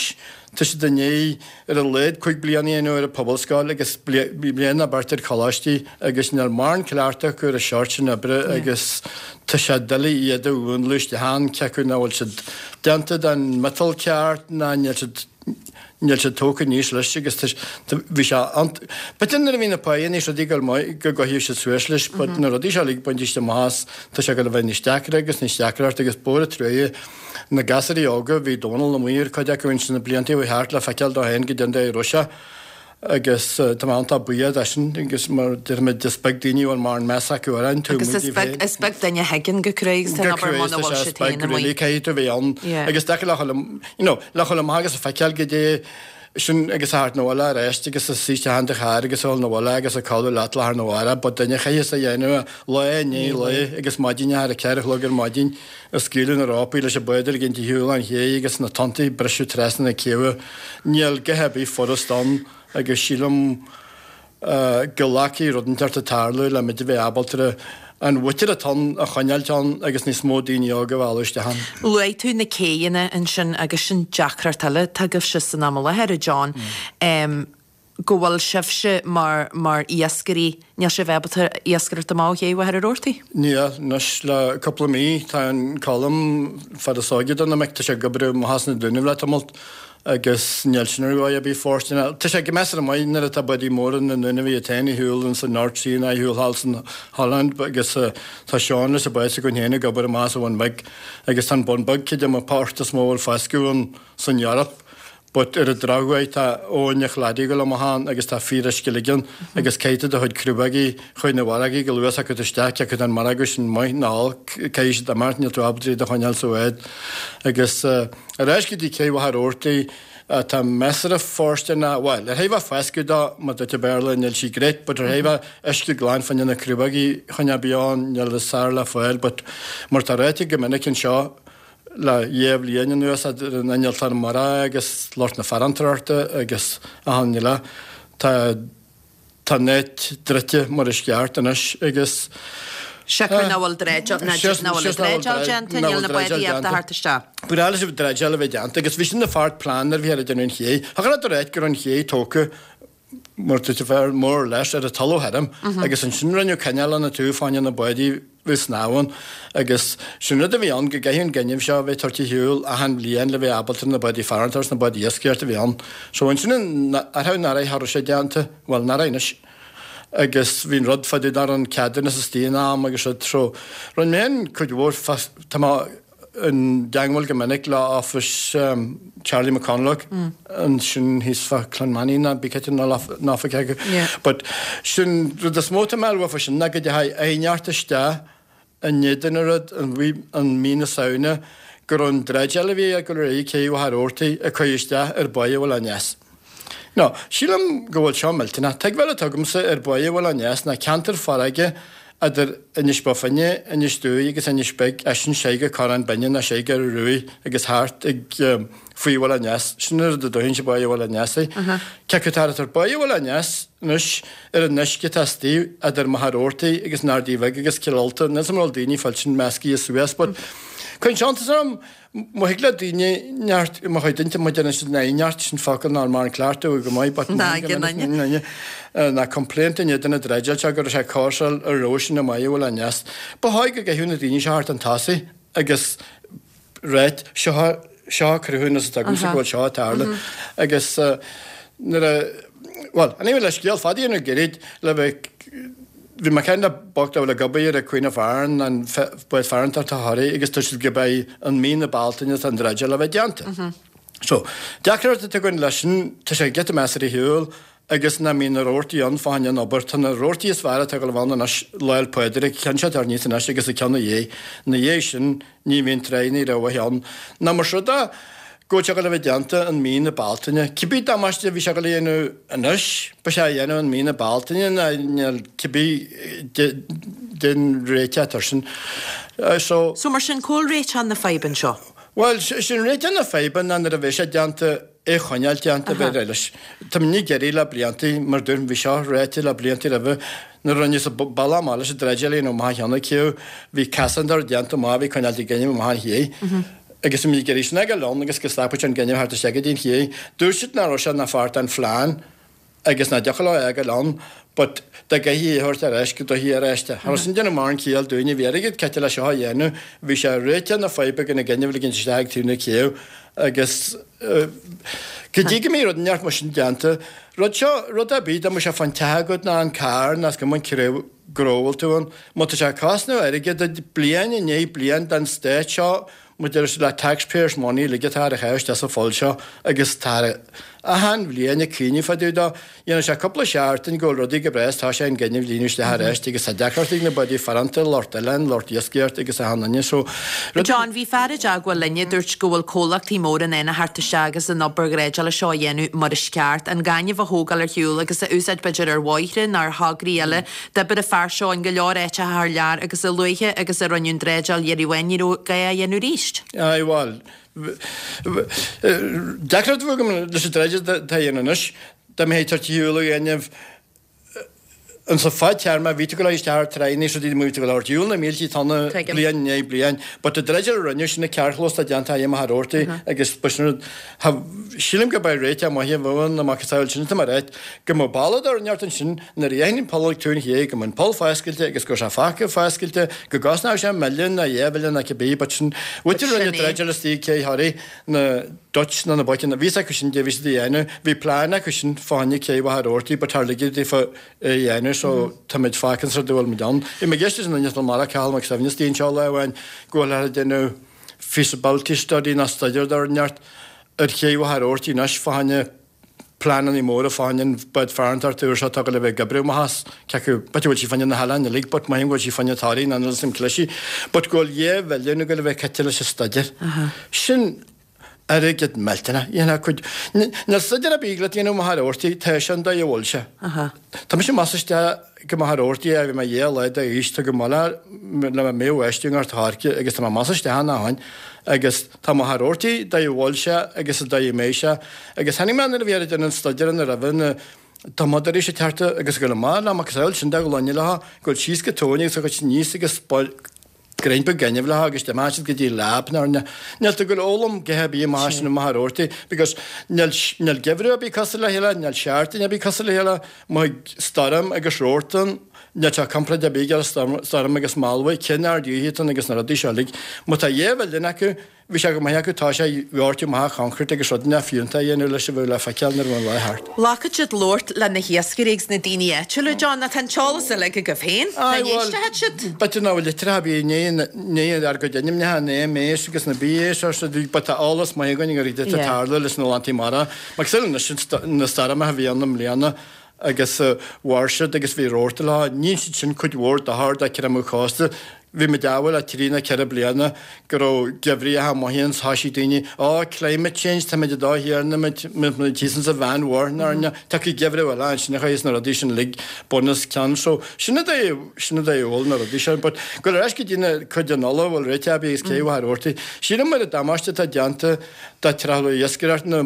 S9: tá siad i ndiaidh ar a laghad 5 bliana a dhéanamh ar an pobalscoil agus bliain nó beirt ar choláistí agus níl mórán cleachtadh acu ar an seort sin oibre agus tá sé doiligh iad a mhúnlú isteach ann, cé acu nach bhfuil siad déanta den mhiotal ceart ná níl siad níl siad tógtha aníos leis agus tá bhí sé an b'fhéidir nuair a bhí na páigheanna is rudaí ag dul maith go gcoinneodh siad suas leis but na rudaí seo uilig bainte amach as tá sé ag dul a bheith níos deacra agus níos deacra agus ba mhór an truaighe Na gasúirí óga, bhí Dónal amuigh ar cuid acu ins na blianta a chuaigh thart le feiceáil dó féin goidé an dóigh a raibh sé agus tá mé iontach buíoch de sin agus mar deirimid is beag daoine a bhfuil mórán meas acu orainn taobh
S1: Agus
S9: amuigh
S1: is
S9: díobh
S1: beag
S9: féin.
S1: is beag duine a thuigeann go cruaidh agus tá
S9: Go
S1: an obair
S9: cruaidh
S1: muna
S9: is
S1: bhfuil
S9: is
S1: siad
S9: beag
S1: féin amuigh.
S9: really caithfidh tú a bheith ann
S1: Yeah.
S9: agus deacair le dhul you know le dhul amach agus a feiceáil goidé sin agus a theacht 'na bhaile aríst agus a suí isteach in do charr agus a dhul 'na bhaile agus a codladh leat lá arna mhárach but duine a chaithfeas a dhéanamh lá i ndiaidh lae agus maidin a 4 a chlog ar maidin Ag scaoileadh na rópaí leis an bád a ligint ar shiúl an ché agus na tonntaí ag briseadh trasna na céibhe. Níl a dhath ar bith furast ann agus sílim go bhféadfadh rud inteacht a tarlú le muid a bheith ábalta an mhuintir atá ann a choinneáilt ann agus níos mó daoine óga a mhealladh isteach ann.
S1: Luaigh tú na céidheanna ansin agus sin deacracht eile atá agaibhse san am i láthair, a John. go bhfuil sibhse mar, mar iascairí, níl sibh ábalta iascaireacht amach ó ché Mhachaire Rabhartaigh?
S9: Níl, anois le cúpla mí tá an Colm, fear is óige de na mic, tá sé ag obair amach as na Dúnaibh le tamalt Agus níl sin ar dhóigh ar bith fóirsteanach. Tá sé go measartha maith nuair atá bádaí móra na nDúnaibh iad féin ar shiúl ins an North Sea nó ar shiúl thall san Holland agus tá Seán leis an bád s'againn féin ag obair amach as an Bhun Bheag agus tá an Bun Beag cuid de na port is mó a bhfuil foscadh ann san Eoraip but ar an drochuair tá abhainn an Chladaigh ag dul amach ann agus tá fíoruisce uilig ann agus caithfidh tú do chuid crobhógaí chuig na bhfarraigí go luath acu isteach cé acu tá an margadh sin maith nó olc caithfidh siad imeacht níl tú ábalta iad a choinneáil sa bhád agus Ar ais go dtí cé Mhachaire Rabhartaigh atá measartha fóirsteanach, bhuel, ar thaobh a foscadh dó, mar dúirt an Béarla, níl sí great, but ar thaobh a uisce glan fá choinne na crobhógaí choinneáil beo ann, níl is fearr le fáil, but mar tá ráite go minic anseo le dhá bhliain anuas idir an innealtóir mara agus lucht na farantóireachta agus achan uile, tá. Tá an áit druidte mar is ceart anois agus.
S1: Siocair nach bhfuil dreideáil, nach bhfuil an dreideáil déanta, níl na bádaí ábalta theacht isteach.
S9: Ba ghnách leis an dreideáil a bheith déanta agus bhí sin ina pháirt plean nuair a bhí ar déanamh an ché. Thiocfadh leat a ráit go raibh an ché tógtha mar dúirt an fear more or less ar an talamh thirim agus ansin rinneadh canáil ina taobh fá choinne na bádaí bheith ag snámh ann agus sin rud a bhí ann go gcaithfeadh an gaineamh seo a bheith tabhairt ar shiúl achan bhliain le bheith ábalta na bádaí farantóireachta is na bádaí iascaireachta a bhí ann. So ansin an ar nach raibh cha raibh sé déanta, bhuel nach raibh anois agus bhí an rud fá dtaobh nach raibh an ceadúnas istigh in am agus rud so rinne mé féin cuid mhór tá mé i dteangmháil go minic le office Charlie McConalogue ansin thíos fá Clonmany ná bí cinnte an oifig acu. But sin rud is mó atá mé a lua fá sin ná go dteachaigh aighneacht isteach in éadan an rud an mí na Samhna go raibh an dreideáil a bhí ag dul ar aghaidh cé Mhachaire Rabhartaigh ag cur isteach ar Bhaile Bhuel Aneas. Now, sílim go bhfuil seo millteanach. Tuigbheáil atá agamsa ar Bhaile Bhuel Aneas ná ceantar farraige idir Inis Bó Finne, Inis Dúi agus Inis Beag, eisean soir go Corrán Binne nó soir go Ruaidh agus thart ag faoi Bhuel Aneas. Sin an rud a dúiche sa Bhaile Bhuel Aneas é. Cé acu atá ar Bhaile Bhuel Aneas anois ar an uisce atá istigh idir Machaire Rabhartaigh agus an Ardaidh Bhig agus Cill Ulta, níl 's a'm an bhfuil daoine fáil sin meascaithe suas but cuireann sé iontas orm Má thig le daoine neart, má chuid duine, má déanann siad an aighneacht, sin focal nár mar an cleachtadh go maith, but
S1: Ná go n-aine.
S9: ná complaint in éadan na dreideáil seo go raibh sé ag cóirseáil ar raibh sin i mBaile Bhuel Aneas. Ba chóir go gcaithfeadh na daoine seo thart an tosaigh agus ráit, seo, seo cruthúnas atá agamsa go bhfuil seo ag tarlú. Agus nuair a, bhuel, anyway le scéal fada a dhéanamh gairid le bheith, Bhí mé ag caint le boc dá bhfuil ag obair ag Queen of Aran, an bád farantóireachta Thoraí, agus dúirt siad go mbeidh an mí na Bealtaine atá an dreideáil le bheith déanta. So, deacracht atá againn leis sin, tá sé giota measartha ar shiúl agus nach mbíonn na rabhartaí ann fá choinne an obair. Tá na rabhartaí is fearr atá ag dul a bheith ann anois, Lá 'le Pádraig, ceann seo atá níos anois agus an ceann ina dhiaidh. Ina dhiaidh sin, Ní bhíonn tráigh rómhaith ann. Ná más rud é go bhfuil sé ag dul a bheith déanta in mí na Bealtaine. Cibé damáiste a bhí sé ag dul a dhéanamh anois, beidh sé á dhéanamh in mí na Bealtaine ná níl cibé den réiteach atá air sin. So.
S1: So mar sin, cá bhfuil réiteach na faidhbe anseo?
S9: Bhuel, sin réiteach na faidhbe ná nuair a bheidh sé déanta, é a choinneáil déanta bheith leis. Tá muid ag iarraidh le blianta, mar dúirt, bhí seo ráite le blianta roimhe, nuair a rinneadh sa bealach amach leis an dreideáil nó amach an cheann acu, bhí casán déanta amach, bhí coinneáil ag gaineamh amach an ché. Agus bhí muid ag iarraidh sin a fhágáil ann agus go stopfadh sé an gaineamh thart isteach go dtí an ché. Dúirt siad nach raibh sé ina pháirt den phlean. agus nach dtiocfadh leo é a fhágáil ann but dá gcaithfí é a thabhairt ar ais go dtabharfaí ar ais é. Cha raibh sin ag déanamh mórán ciall dúinne, bhí airgead caite le seo a dhéanamh, bhí sé réiteach na faidhbe gan an gaineamh a ligint isteach ag taobh na céibhe agus go dtí go mbeidh rud inteacht mar sin déanta, rud seo, rud ar bith, dá mbeadh sé fán teach agat ná an carr ná is cuma an gnó a bhfuil tú ann, má tá sé ag cosnú airgead duit bliain i ndiaidh bliain den stát seo, Mar deir siad le taxpayers money uilig atá ar a chaitheamh isteach sa pholl seo agus tá achan bhliain ag cuimhneamh fá dtaobh dó. Dhéanann sé cúpla seachtain go bhfuil rudaí go breá is tá sé an gaineamh líonadh isteach arís agus tá deacracht ag na bádaí faranta, lucht oileáin, lucht iascaireachta agus achan duine so
S1: rud. John, bhí fear i dteagmháil linn a dúirt go bhfuil comhlachtaí móra in ann a theacht isteach agus an obair dhreideála seo a dhéanamh mar is ceart, an gaineamh a thógáil ar shiúl agus a úsáid b'fhéidir ar bhóithre nó ar thograí eile. D'oibir an fear seo in go leor áiteacha thar lear agus a luaithe agus a rinneadh an dreideáil dheiridh amháin ní raibh gá é a dhéanamh arís.
S9: Aye, bhuel, deacracht a bheadh agam leis an dreideáil atá á dhéanamh anois, dá mbeifí ag tabhairt ar shiúl an ghainimh insa fadtéarma, bhí tú ag dul isteach ar tráigh is rudaí, bhí tú ag dul ar shiúl na mílte tonna bliain i ndiaidh bliain, but an dreideáil a rinneadh sin an carrchlós atá déanta ag Machaire Rabhartaigh agus ba sin rud, sílim go mbeidh réiteach maith a bheadh ann amach is amhail sin atá mar áit go mbeadh bealach ar neart ansin Nuair a dhéanfainn an poll ag taobh an ché, go mbeadh an poll foscailte agus go raibh sé fágtha foscailte, go gcosnódh sé milliún ná 2 mhilliún ná cibé, but sin,
S1: But
S9: sin
S1: é.
S9: dreideáil istigh ag Cé Thoraí na. Dutch ná na boic bhí fhios acu sin cad é bhí siad a dhéanamh. Bhí plean acu sin fá choinne cé Mhachaire Rabhartaigh but char ligeadh daofa é a dhéanamh so táimid fágtha sa rud a bhfuil muid ann. Bhí mé ag éisteacht leis an duine as Macha, Cathal Mac Suibhne istigh anseo lá amháin go bhfuil ag déanamh feasibility study ná staidéar dá neart ar ché Mhachaire Rabhartaigh anois fá choinne pleananna móra fá choinne an bád farantóireachta úr seo atá ag dul a bheith ag oibriú amach as, cé acu, b'fhéidir go bhfuil sí fá choinne na hoileáin uilig but maím go bhfuil sí fá choinne Thoraí ná níl 'fhios a'm clisí but go bhfuil 2 bhilliún ag dul a bheith caite leis an staidéar. Sin airgead millteanach. Dhéanfá cuid, níl staidéar ar bith le déanamh i Machaire Rabhartaigh, tá sé an dóigh a bhfuil sé. Tá mise amach is isteach go Machaire Rabhartaigh ó bhí mé 2 lá d'aois, tá go maith le mo bháistí i nGort a' Choirce agus tá mé amach is isteach ann ó shin agus tá Machaire Rabhartaigh dóigh a bhfuil sé agus an dóigh a mbeidh sé agus tháinig mé nuair a bhí ar déanamh an staidéir ina raibh na tumadóirí sa teart agus ag dul amach le macasamhail sin de ghloine leo, ag dul síos go tóin agus ag dul aníos agus Greim beag gainimh leo agus d'imigh siad go dtí lab nó níl tú ag dul a fhoghlaim a dhath ar bith amach sin i Machaire Rabhartaigh because níl níl geimhreadh ar bith cosúil le chéile, níl seachtain ar bith cosúil le chéile, má stoirm agus rabharta ann, níl sé comparáid ar bith ag storm stoirm agus malbhaigh, cén ard ghaoithe atá ann agus na rudaí seo uilig. Má tá dhá mhilliún acu, Bhí sé go maith acu, tá sé dhoirteadh amach coincréit agus rudaí nach fiúntach a dhéanamh leis a bheadh le feiceáil nuair a bheadh an lá thart.
S1: Ghlacfadh siad labhairt le na hiascairí agus na daoine áitiúla, John, ach tá an t-eolas uilig agaibh féin. Cá
S9: Aye, bhuel,
S1: n-éistfeadh siad?
S9: b'fhéidir nach bhfuil litreacha ar bith i ndiaidh ár gcuid ainmneacha, na MAs agus na BAs or so, but tá eolas maith againn ar cad atá ag tarlú leis na lántaí mara. Mar cosúil anois na stoirmeacha a bhí ann i mbliana agus mhair siad agus bhí rabharta leo, ní dhein siad sin cuid mhór dochair do creimeadh cósta. Bhí muid ábhal le trí nó ceithre bliana go raibh geimhritheacha maithe ann 's thoisigh daoine, oh climate change, táimid ag dul thiar na muid, muid thíos insa Mheánmhuir ná tiocfaidh geimhreadh eile ansin a chuirfeas na rudaí sin uilig bun os cionn. So sin an dóigh, sin an dóigh a bhfuil na rudaí sin. But goil ar ais go dtí na cuid den ola a bhfuil réiteach ar bith agus cé Mhachaire Rabhartaigh. Sílim ar an damáiste atá déanta do trealamh iascaireachta na,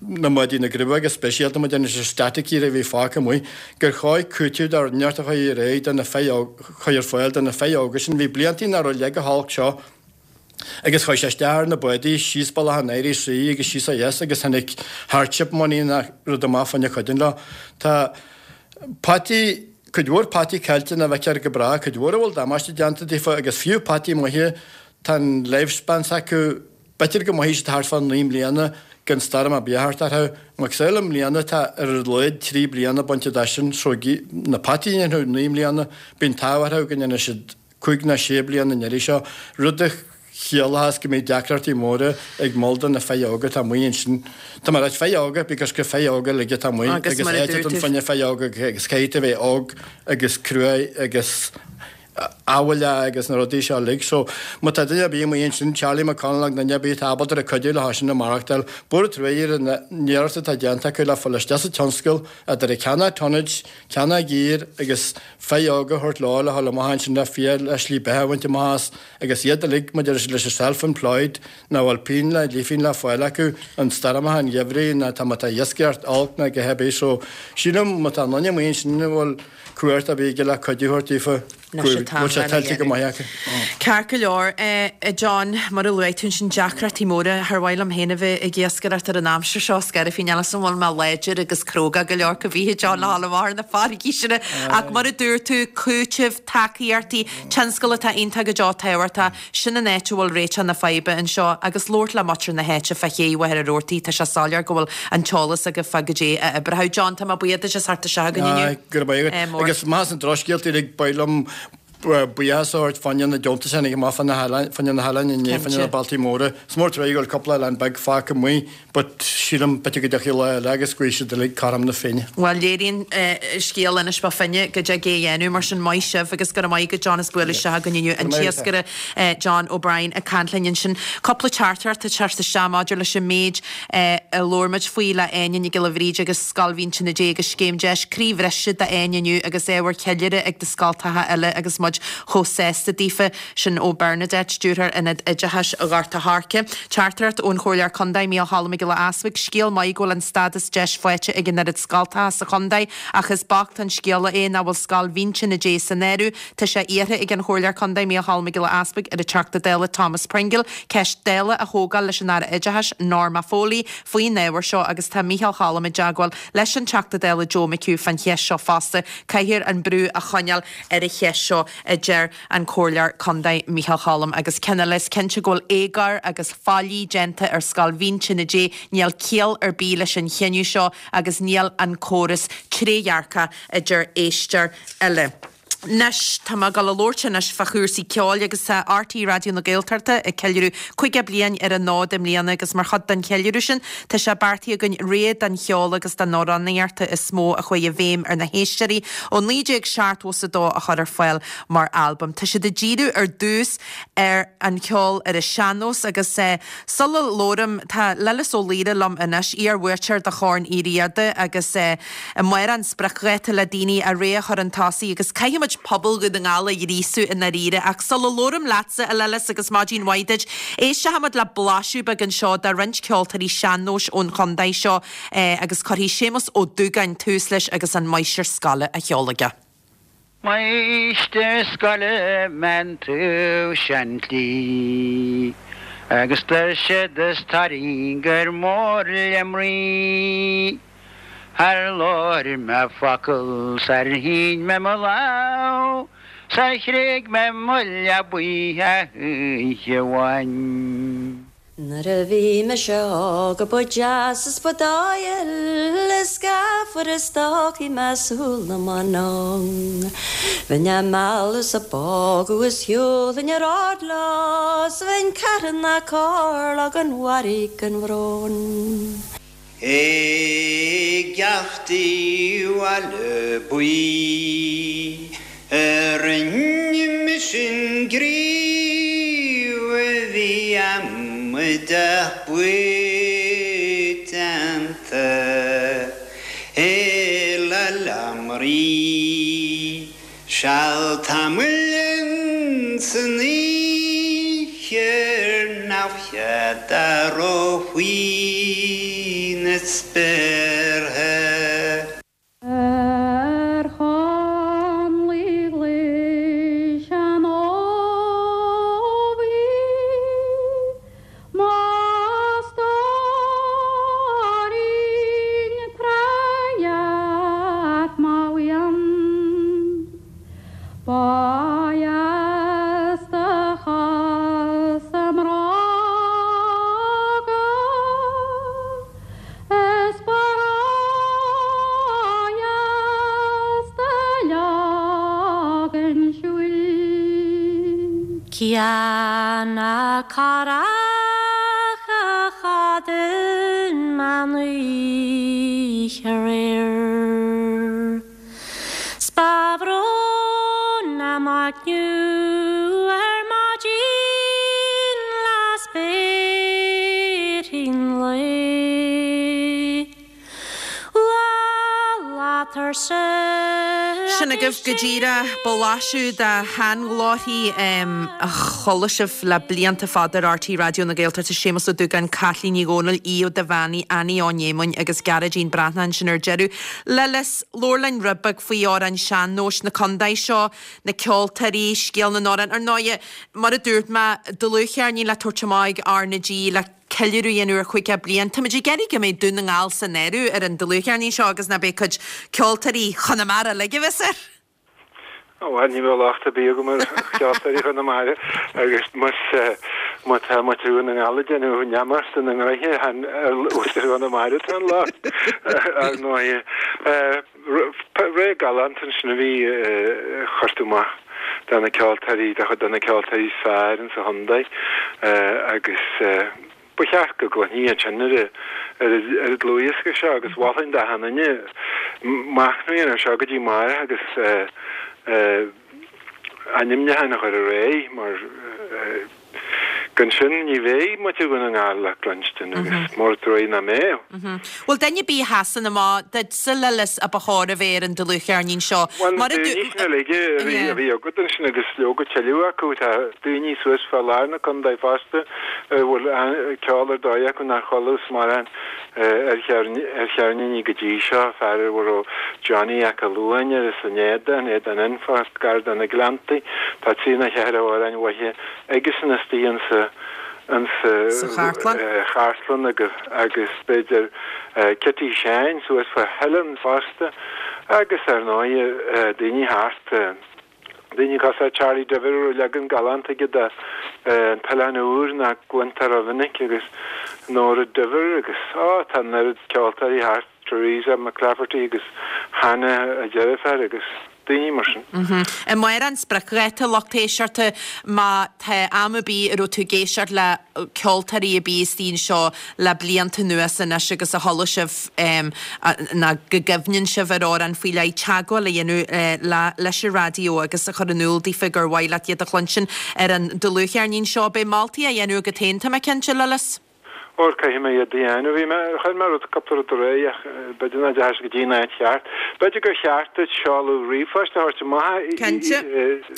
S9: na mbádaí na gcruimhe go speisialta má déanann sé static a bhí fágtha amuigh, gur chóir cúiteamh dá neart a chur ar aghaidh do na fir chur ar fáil do na fir óga sin. Bhí bliantaí nach raibh leig chomh holc seo agus chuaigh sé isteach ar na bádaí síos bealach an Irish Sea agus síos ó dheas agus tháinig hardship money nach rud amach fá choinne cuid leo. Tá peataí, cuid mhór peataí caillte nach bhfeicfear go bráth, cuid mhór a bhfuil damáiste déanta daofa agus fiú peataí maithe tá an lifespan s'acu B'fhéidir go mairfidh siad thart fá 9 mbliana gan stoirm ar bith a theacht orthu. Macasamhail i mbliana tá ar a laghad 3 bliana bainte de sin so na peataí a dhéanfadh 9 mbliana, bíonn an t-ádh orthu go ndéanfaidh siad 5 nó 6 bliana an iarraidh seo, rud a chiallóchas go mbeidh deacrachtaí móra ag moll do na fir óga atá amuigh ansin. Tá mé ag ráit fir óga because gur fir óga uilig atá amuigh
S1: Agus
S9: agus
S1: mar a
S9: áit
S1: dúirt
S9: don
S1: tú.
S9: fá choinne fir óga agus caithfidh tú a bheith óg agus cruaidh agus ábhaile agus na rudaí seo uilig. So, má tá duine ar bith amuigh ansin, Charlie McConalogue, duine ar bith atá ábalta ar cuidiú leo sin a maireachtáil, mór an truaighe ar an iarracht atá déanta acu le fáil isteach sa tionscal, idir ag ceannach tonnage, ceannach gear agus fir óga a thabhairt leo le dhul amach ansin le fial le slí beatha a bhaint amach as agus iad uilig, maidir leis an self-employed, nach bhfuil pingin le leathphingin le fáil acu, an stoirmeacha an gheimhridh, ná tá má tá iascaireacht olc ná a dhath ar bith. So, sílim má tá duine amuigh ansin a bhfuil cumhacht ar bith aige le cuidiú a thabhairt daofa go bhfuil sé tuillte go maith acu.
S1: Ceart go leor, a John, mar a luaigh tú ansin, deacrachtaí móra. Char mhaith liom féin a bheith ag iascaireacht ar an aimsir seo, is gairid faoin eolas an bhfuil mé láidir agus cróga go leor go bhfiche John le dhul amach ar na farraigí sin. Ach mar a dúirt tú, cúiteamh, tacaíochtaí, tionscal atá iontach go deo tábhachtach. Sin an áit a bhfuil réiteach na faidhbe anseo agus labhairt le muintir na háite fá ché Mhachaire Rabhartaigh, tá sé soiléir go bhfuil an t-eolas agaibh fá goidé a oibreoidh. John, tá mé buíoch duit as theacht isteach againn inniu.
S9: Aye, go raibh maith agat.
S1: Mór.
S9: Agus más an drochscéalta uilig, ba mhaith liom buíochas a thabhairt fá choinne na deontais a tháinig amach fá na hoileáin, fá choinne na hoileáin inné, fá choinne na
S1: Cinnte.
S9: bailtí móra. Is mór an truaighe go bhfuil cúpla oileán beag fágtha amuigh. But sílim, b'fhéidir go dtiocfaidh lá eile agus go bhfaighidh siad uilig cothrom na Féinne.
S1: Bhuel, léiríonn scéal Inis Bó Finne go dtig é a dhéanamh, mar sin maith sibh agus go raibh maith agat John as bualadh isteach againn inniu, an t-iascaire John O'Brien ag caint linn ansin. Cúpla teachtaireacht ag teacht isteach maidir leis an méid a labhair muid faoi le Áine Nic Giolla Bhríde agus Scoil Mhínse Dé agus Scéim Deis, croíbhriseadh d'Áine inniu agus ábhar ceiliúrtha ag do scoltacha eile agus muid chomh sásta daofa. Sin ó Bernadette, Stiúrthóir Ionad Oideachais Ghort a' Choirce. Teachtaireacht ón Chomhairleoir Contae, Mícheál Cholm Mac Giolla Easbuig, Scéal maith go bhfuil an stádas deis faighte ag an oiread scoltacha sa chontae ach is bocht an scéala é nach bhfuil Scoil Mhínse Dé san áireamh. Tá sé iarrtha ag an Chomhairleoir Contae, Mícheál Cholm Mac Giolla Easbuig, ar an Teachta Dála Thomas Pringle ceist Dála a thógáil leis an Aire Oideachais, Norma Foley, faoin ábhar seo agus tá Mícheál Cholm i dteagmháil leis an Teachta Dála Joe McHugh fán cheist seo fosta. Caithfear an brú a choinneáil ar an cheist seo. A deir an Comhairleoir Contae Micheál Choilm. Agus ceann eile, is cinnte go bhfuil éagóir agus faillí déanta ar Scoil Mhín Tine Dé, níl ciall ar bith leis an chinneadh seo agus níl an córas trédhearcach, a deir éisteoir eile. Anois, tá mé ag dul a labhairt anois fá chúrsaí ceoil agus tá RTÉ Raidió na Gaeltachta ag ceiliúradh 50 bliain ar an fhód i mbliana agus mar chuid den cheiliúradh sin tá sé beartaithe againn rogha den cheol agus den amhránaíocht is mó a chuaigh i bhfeidhm ar na héisteoirí ó 1972 a chur ar fáil mar albam. Tá siad ag díriú ar dtús ar an cheol ar an sean-nós agus sula labhraím tá Lillis Ó Laoire liom anois, iar-bhuaiteoir de Chorn Uí Riada agus Amárach an spriocdháta le daoine a rogha a chur chun tosaigh agus caithfidh muid pobal Dhún na nGall a ghríosú i ndáiríre. Ach sula labhraím leatsa, a Lillis, agus maidin mhaith duit, éisteoidh muid le blaiseadh beag anseo de roinnt ceoltóirí sean-nóis ón chontae seo agus cuirfidh Séamus Ó Dúgáin tús leis agus an Máistir Scoile á cheol aige.
S10: Máistir scoile mbean tú sean-tslí agus tuirsead is tairngir mór le mnaoi. Ar labhair mé focal sar shín mé mo lámh 's ar thréig mé mo leabaidh oíche amháin.
S11: Nuair a bhí mise óg ba deas is ba dóighiúil is gafair is stócaí mé súil na mban. Bheinn á mealladh 's á bpógadh is shiúlfainn ar ard leo 's bheinn carthanach comhairleach gan mhairg gan bhrón.
S10: I gceachtaí Bhaile Buí a rinne mise an gníomh a bhí amaideach paiteanta i Leamraí. Seal tamaill ins an oíche ar neamhchead dó faoi na spéartha.
S12: Ar chonlaí ghlais an fhómhair, mo stóirín tráth mo mhian. Ba dheas do chosa mbróga is ba ródheas do leagan siúil.
S11: Cé na curacha a chodail mé an oíche aréir. 'S ba bhrón liom a gcniú ar maidin le spéirthí an lae.
S1: Sin agaibh go díreach blaiseadh de sheanghlórthaí a chuala sibh le blianta fada ar RTÉ Raidió na Gaeltachta, Séamus Ó Dúgáin, Caitlín Ní Dhomhnaill, Aodh Ó Duibheannaigh, Annie Ó Néamáin agus Gearóidín Breathnach ansin ar deireadh. Lillis, labhair linn rud beag faoi amhráin sean-nóis na contae seo, na ceoltóirí, scéal na n-amhrán. Ar ndóighe, mar a dúirt mé, dlúthcheirnín le tabhairt amach ag R na G le ceiliúradh a dhéanamh ar 50 bliain. Táimid ag iarraidh go mbeidh Dún na nGall san áireamh ar an dlúthcheirnín seo agus nach beidh cuid ceoltóirí Chonamara uilig a bheas air.
S6: Bhuel, ní bheadh locht ar bith agam ar cheoltóirí Chonamara agus más má tá muintir Dhún na nGall ag déanamh neamart ina ngnoithe, chan ar mhuintir Chonamara atá an locht, ar ndóighe. Ré galánta ansin a bhí, chuir tú amach do na ceoltóirí, do chuid de na ceoltóirí is fearr insa chontae agus ba cheart go gcluinfí iad sin ar an dlúthdhiosca seo agus mholfainn d'achan duine machnamh a dhéanamh air seo go dtí amárach agus ainmniúchán a chur ar aghaidh mar Gan sin ní bheidh muintir Dhún na nGall le cluinstin agus mór an truaighe nach mbeadh.
S1: Bhuel, duine ar bith a sheasann amach duitse, Lillis, a ba chóir a bheith ar an dlúthcheirnín seo.
S6: Bhuel, na daoine sin uilig a bhí agat ansin agus leoga tuilleadh acu, tá daoine suas fá lár na contae fosta a bhfuil ceol ar dóigh acu nár chualathas mórán ar cheirníní go dtí seo, fear a raibh Johnny 'Ac Luain air as an Éadan, Éadan Fhionnfá, gar do na Gleanntaí. Tá trí nó cheithre amhráin mhaithe aigesan istigh insa chartlann agus b'fhéidir Kitty Sheáin suas fá Theileann fosta agus ar ndóighe daoine thart.
S13: Daoine cosúil le Charlie Duibhir a raibh leagan galánta aige de An tOileán Úr nach gcluintear rómhinic agus Nóra Duibhir agus, á, tá an oiread ceoltóirí thart, Teresa McClafferty agus Hannah a deirfiúr agus daoine mar sin.
S1: Amárach an spriocdháta, lucht éisteachta, má tá am ar bith a raibh tú ag éisteacht le ceoltóirí ar bith istigh anseo le blianta anuas anois agus a chuala sibh nó go gcuimhníonn sibh ar amhrán faoi leith, teagmháil a dhéanamh leis an raidió agus a chur in iúl daofa gur mhaith leat iad a chluinstin ar an dlúthcheirnín seo. Beidh moltaí á dhéanamh agat féin, tá mé cinnte, Lillis.
S13: Óir caithfidh mé iad a dhéanamh. Bhí mé, chuir mé rud, cúpla rud ar aghaidh ach b'fhéidir nach dteachaigh sé go dtí an áit cheart. B'fhéidir gur cheart duit seoladh ríomhphoist a thabhairt amach.
S1: Cinnte.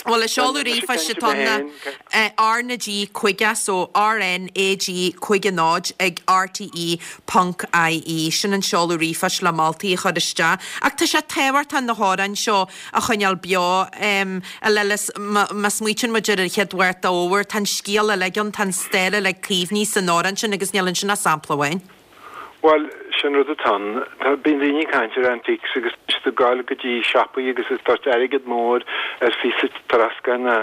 S1: Bhuel, an seoladh ríomhphoist atá ann ná R na G 50, so RNAG 50 0 ag RTE ponc IE. Sin an seoladh ríomhphoist le moltaí a chur isteach. Ach tá sé tábhachtach na hamhráin seo a choinneáil beo. A Lillis, má smaoitíonn muid ar an chéad Mháirt d'fhómhar, tá an scéal uilig ann, tá an stair uilig caomhnaithe san amhrán sin agus níl ansin ach sampla amháin.
S13: Bhuel, sin rud atá ann. Tá, bíonn daoine ag caint ar antiques agus tá siad ag gabháil go dtí siopaí agus ag tabhairt airgead mór ar phíosa troscáin ná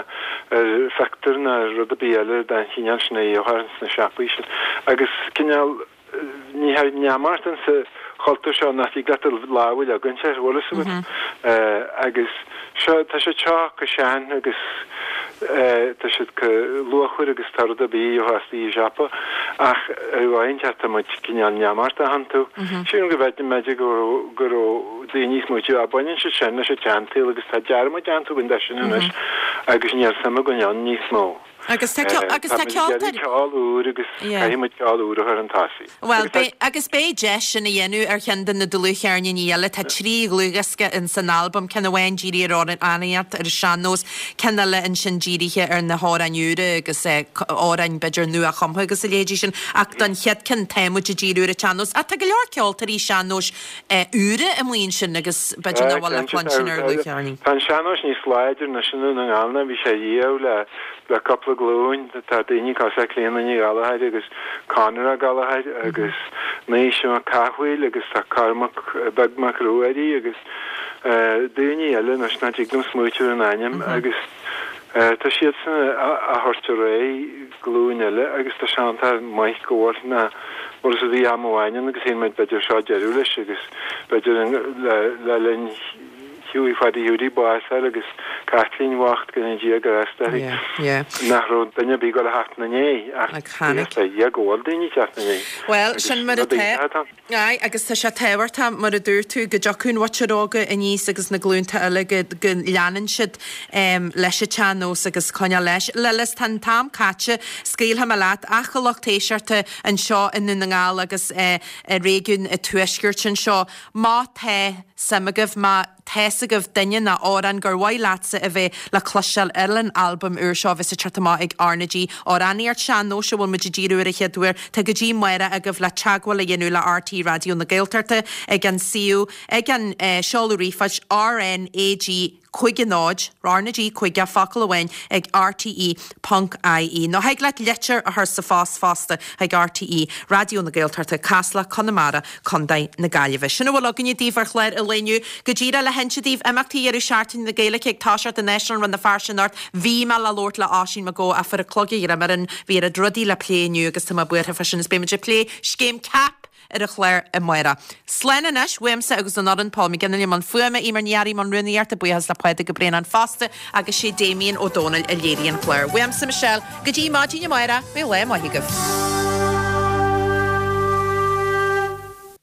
S13: ar phictiúr ná rud ar bith eile den chineál sin a gheofar sna siopaí sin. Agus cineál, ní hea, neamart insa chultúr seo nach dtig leat do lámh a leagaint air, bhfuil fhios agat. Agus seo, tá siad seo chomh sean agus tá siad chomh luachmhar agus tá rud ar bith a gheofá istigh i siopa ach ar mhaith inteacht tá muid cineál neamartach iontu. Sílim go bhfeidim b'fhéidir go raibh, go raibh daoine ag smaoitiú, á baineann siad sin leis an tseansaol agus tá dearmad déanta againn de sin anois agus níl suim againn ann níos mó.
S1: Agus tá ceol, agus tá
S13: ceol, tá ceol úr agus caithfidh muid ceol úr a chur chun tosaigh.
S1: Bhuel, beidh, agus beidh deis sin a dhéanamh ar cheann de na dlúthcheirníní eile. Tá 3 dhlúthdhiosca in san albam, ceann amháin dírithe ar amhránaíocht ar an sean-nós, ceann eile ansin dírithe ar na hamhráin úra agus amhráin b'fhéidir nua-chumtha agus a leithéidí sin. Ach don chéad ceann tá muid ag díriú ar an tsean-nós. Ach tá go leor ceoltóirí sean-nóis úra amuigh ansin agus b'fhéidir nach bhfuil le cluinstin ar dhlúthcheirnín.
S13: Tá an sean-nós níos láidre anois i nDún na nGall ná bhí sé riamh le le cúpla glúin. Tá daoine cosúil le Clíona Ní Ghallchóir agus Conor Ó Gallchóir agus Naoise Mac Cathmhaoil agus tá Cormac Beag Mac Ruairí agus daoine eile anois nach dtig liom smaoitiú ar a n-ainm agus tá siadsan á thabhairt ar aghaidh glúin eile agus tá sé iontach maith go bhfuil na bhfuil fhios agat bhí am amháin ann agus shíl muid b'fhéidir seo deireadh leis agus b'fhéidir le linn Hughie Phaidí Hiúdaí bás a fháil agus Caitlín bhocht go ndéana Dia grásta uirthi nach raibh duine ar bith ag dul a theacht ina ndiaidh ach
S1: tháinig.
S13: Buíochas le Dia go bhfuil daoine ag teacht ina ndiaidh
S1: Bhuel, sin mar atá. Aye, agus tá sé tábhachtach, mar a dúirt tú, go dtiocfaidh an mhuintir óga aníos agus na glúnta eile go go leanann siad leis an tsean-nós agus coinneáil leis. Lillis, tá an t-am caite, scaoilfidh mé leat, ach a lucht éisteachta anseo i nDún na nGall agus i réigiún an Tuaiscirt anseo, má tá suim agaibh, má tá's agaibh duine nó amhrán gur mhaith leatsa a bheith le cloisteáil ar an albam úr seo a bheas ag teacht amach ag RnaG, amhránaíocht sean-nóis a bhfuil muid ag díriú ar an chéad uair. Tá go dtí amárach agaibh le teagmháil a dhéanamh le RTÉ Raidió na Gaeltachta ag an suíomh, ag an seoladh ríomhphoist RnaG. 50 0, RnaG 50, focal amháin, ag rte ponc ie. Nó thig leat litir a chur sa phost fosta chuig RTÉ, Raidió na Gaeltachta, Casla, Conamara, Contae na Gaillimhe. Sin a bhfuil againne daoibh ar chlár an lae inniu. Go díreach le hinse daoibh, imeachtaí dheireadh seachtaine na Gaeilge ag toiseacht in Áislann Rann na Feirste anocht. Bhí mé le labhairt le Oisín Mac Gabha ach fuair an clog a dhroim orainn. Bhí oiread rudaí le plé inniu agus tá mé buartha fá sin is beidh muid ag plé scéim CAP ar an chlár amárach. Slán anois, uaimse agus ón fhoireann, Paul McGinley i mbun fuaime, Eimear Ní Fhearraigh i mbun rúnaíochta, buíochas le Pádraig Ó Braonáin fosta agus sé Damien Ó Dónaill a léirigh an clár. Uaimse, Michelle, go dtí maidin amárach, beidh lá maith agaibh.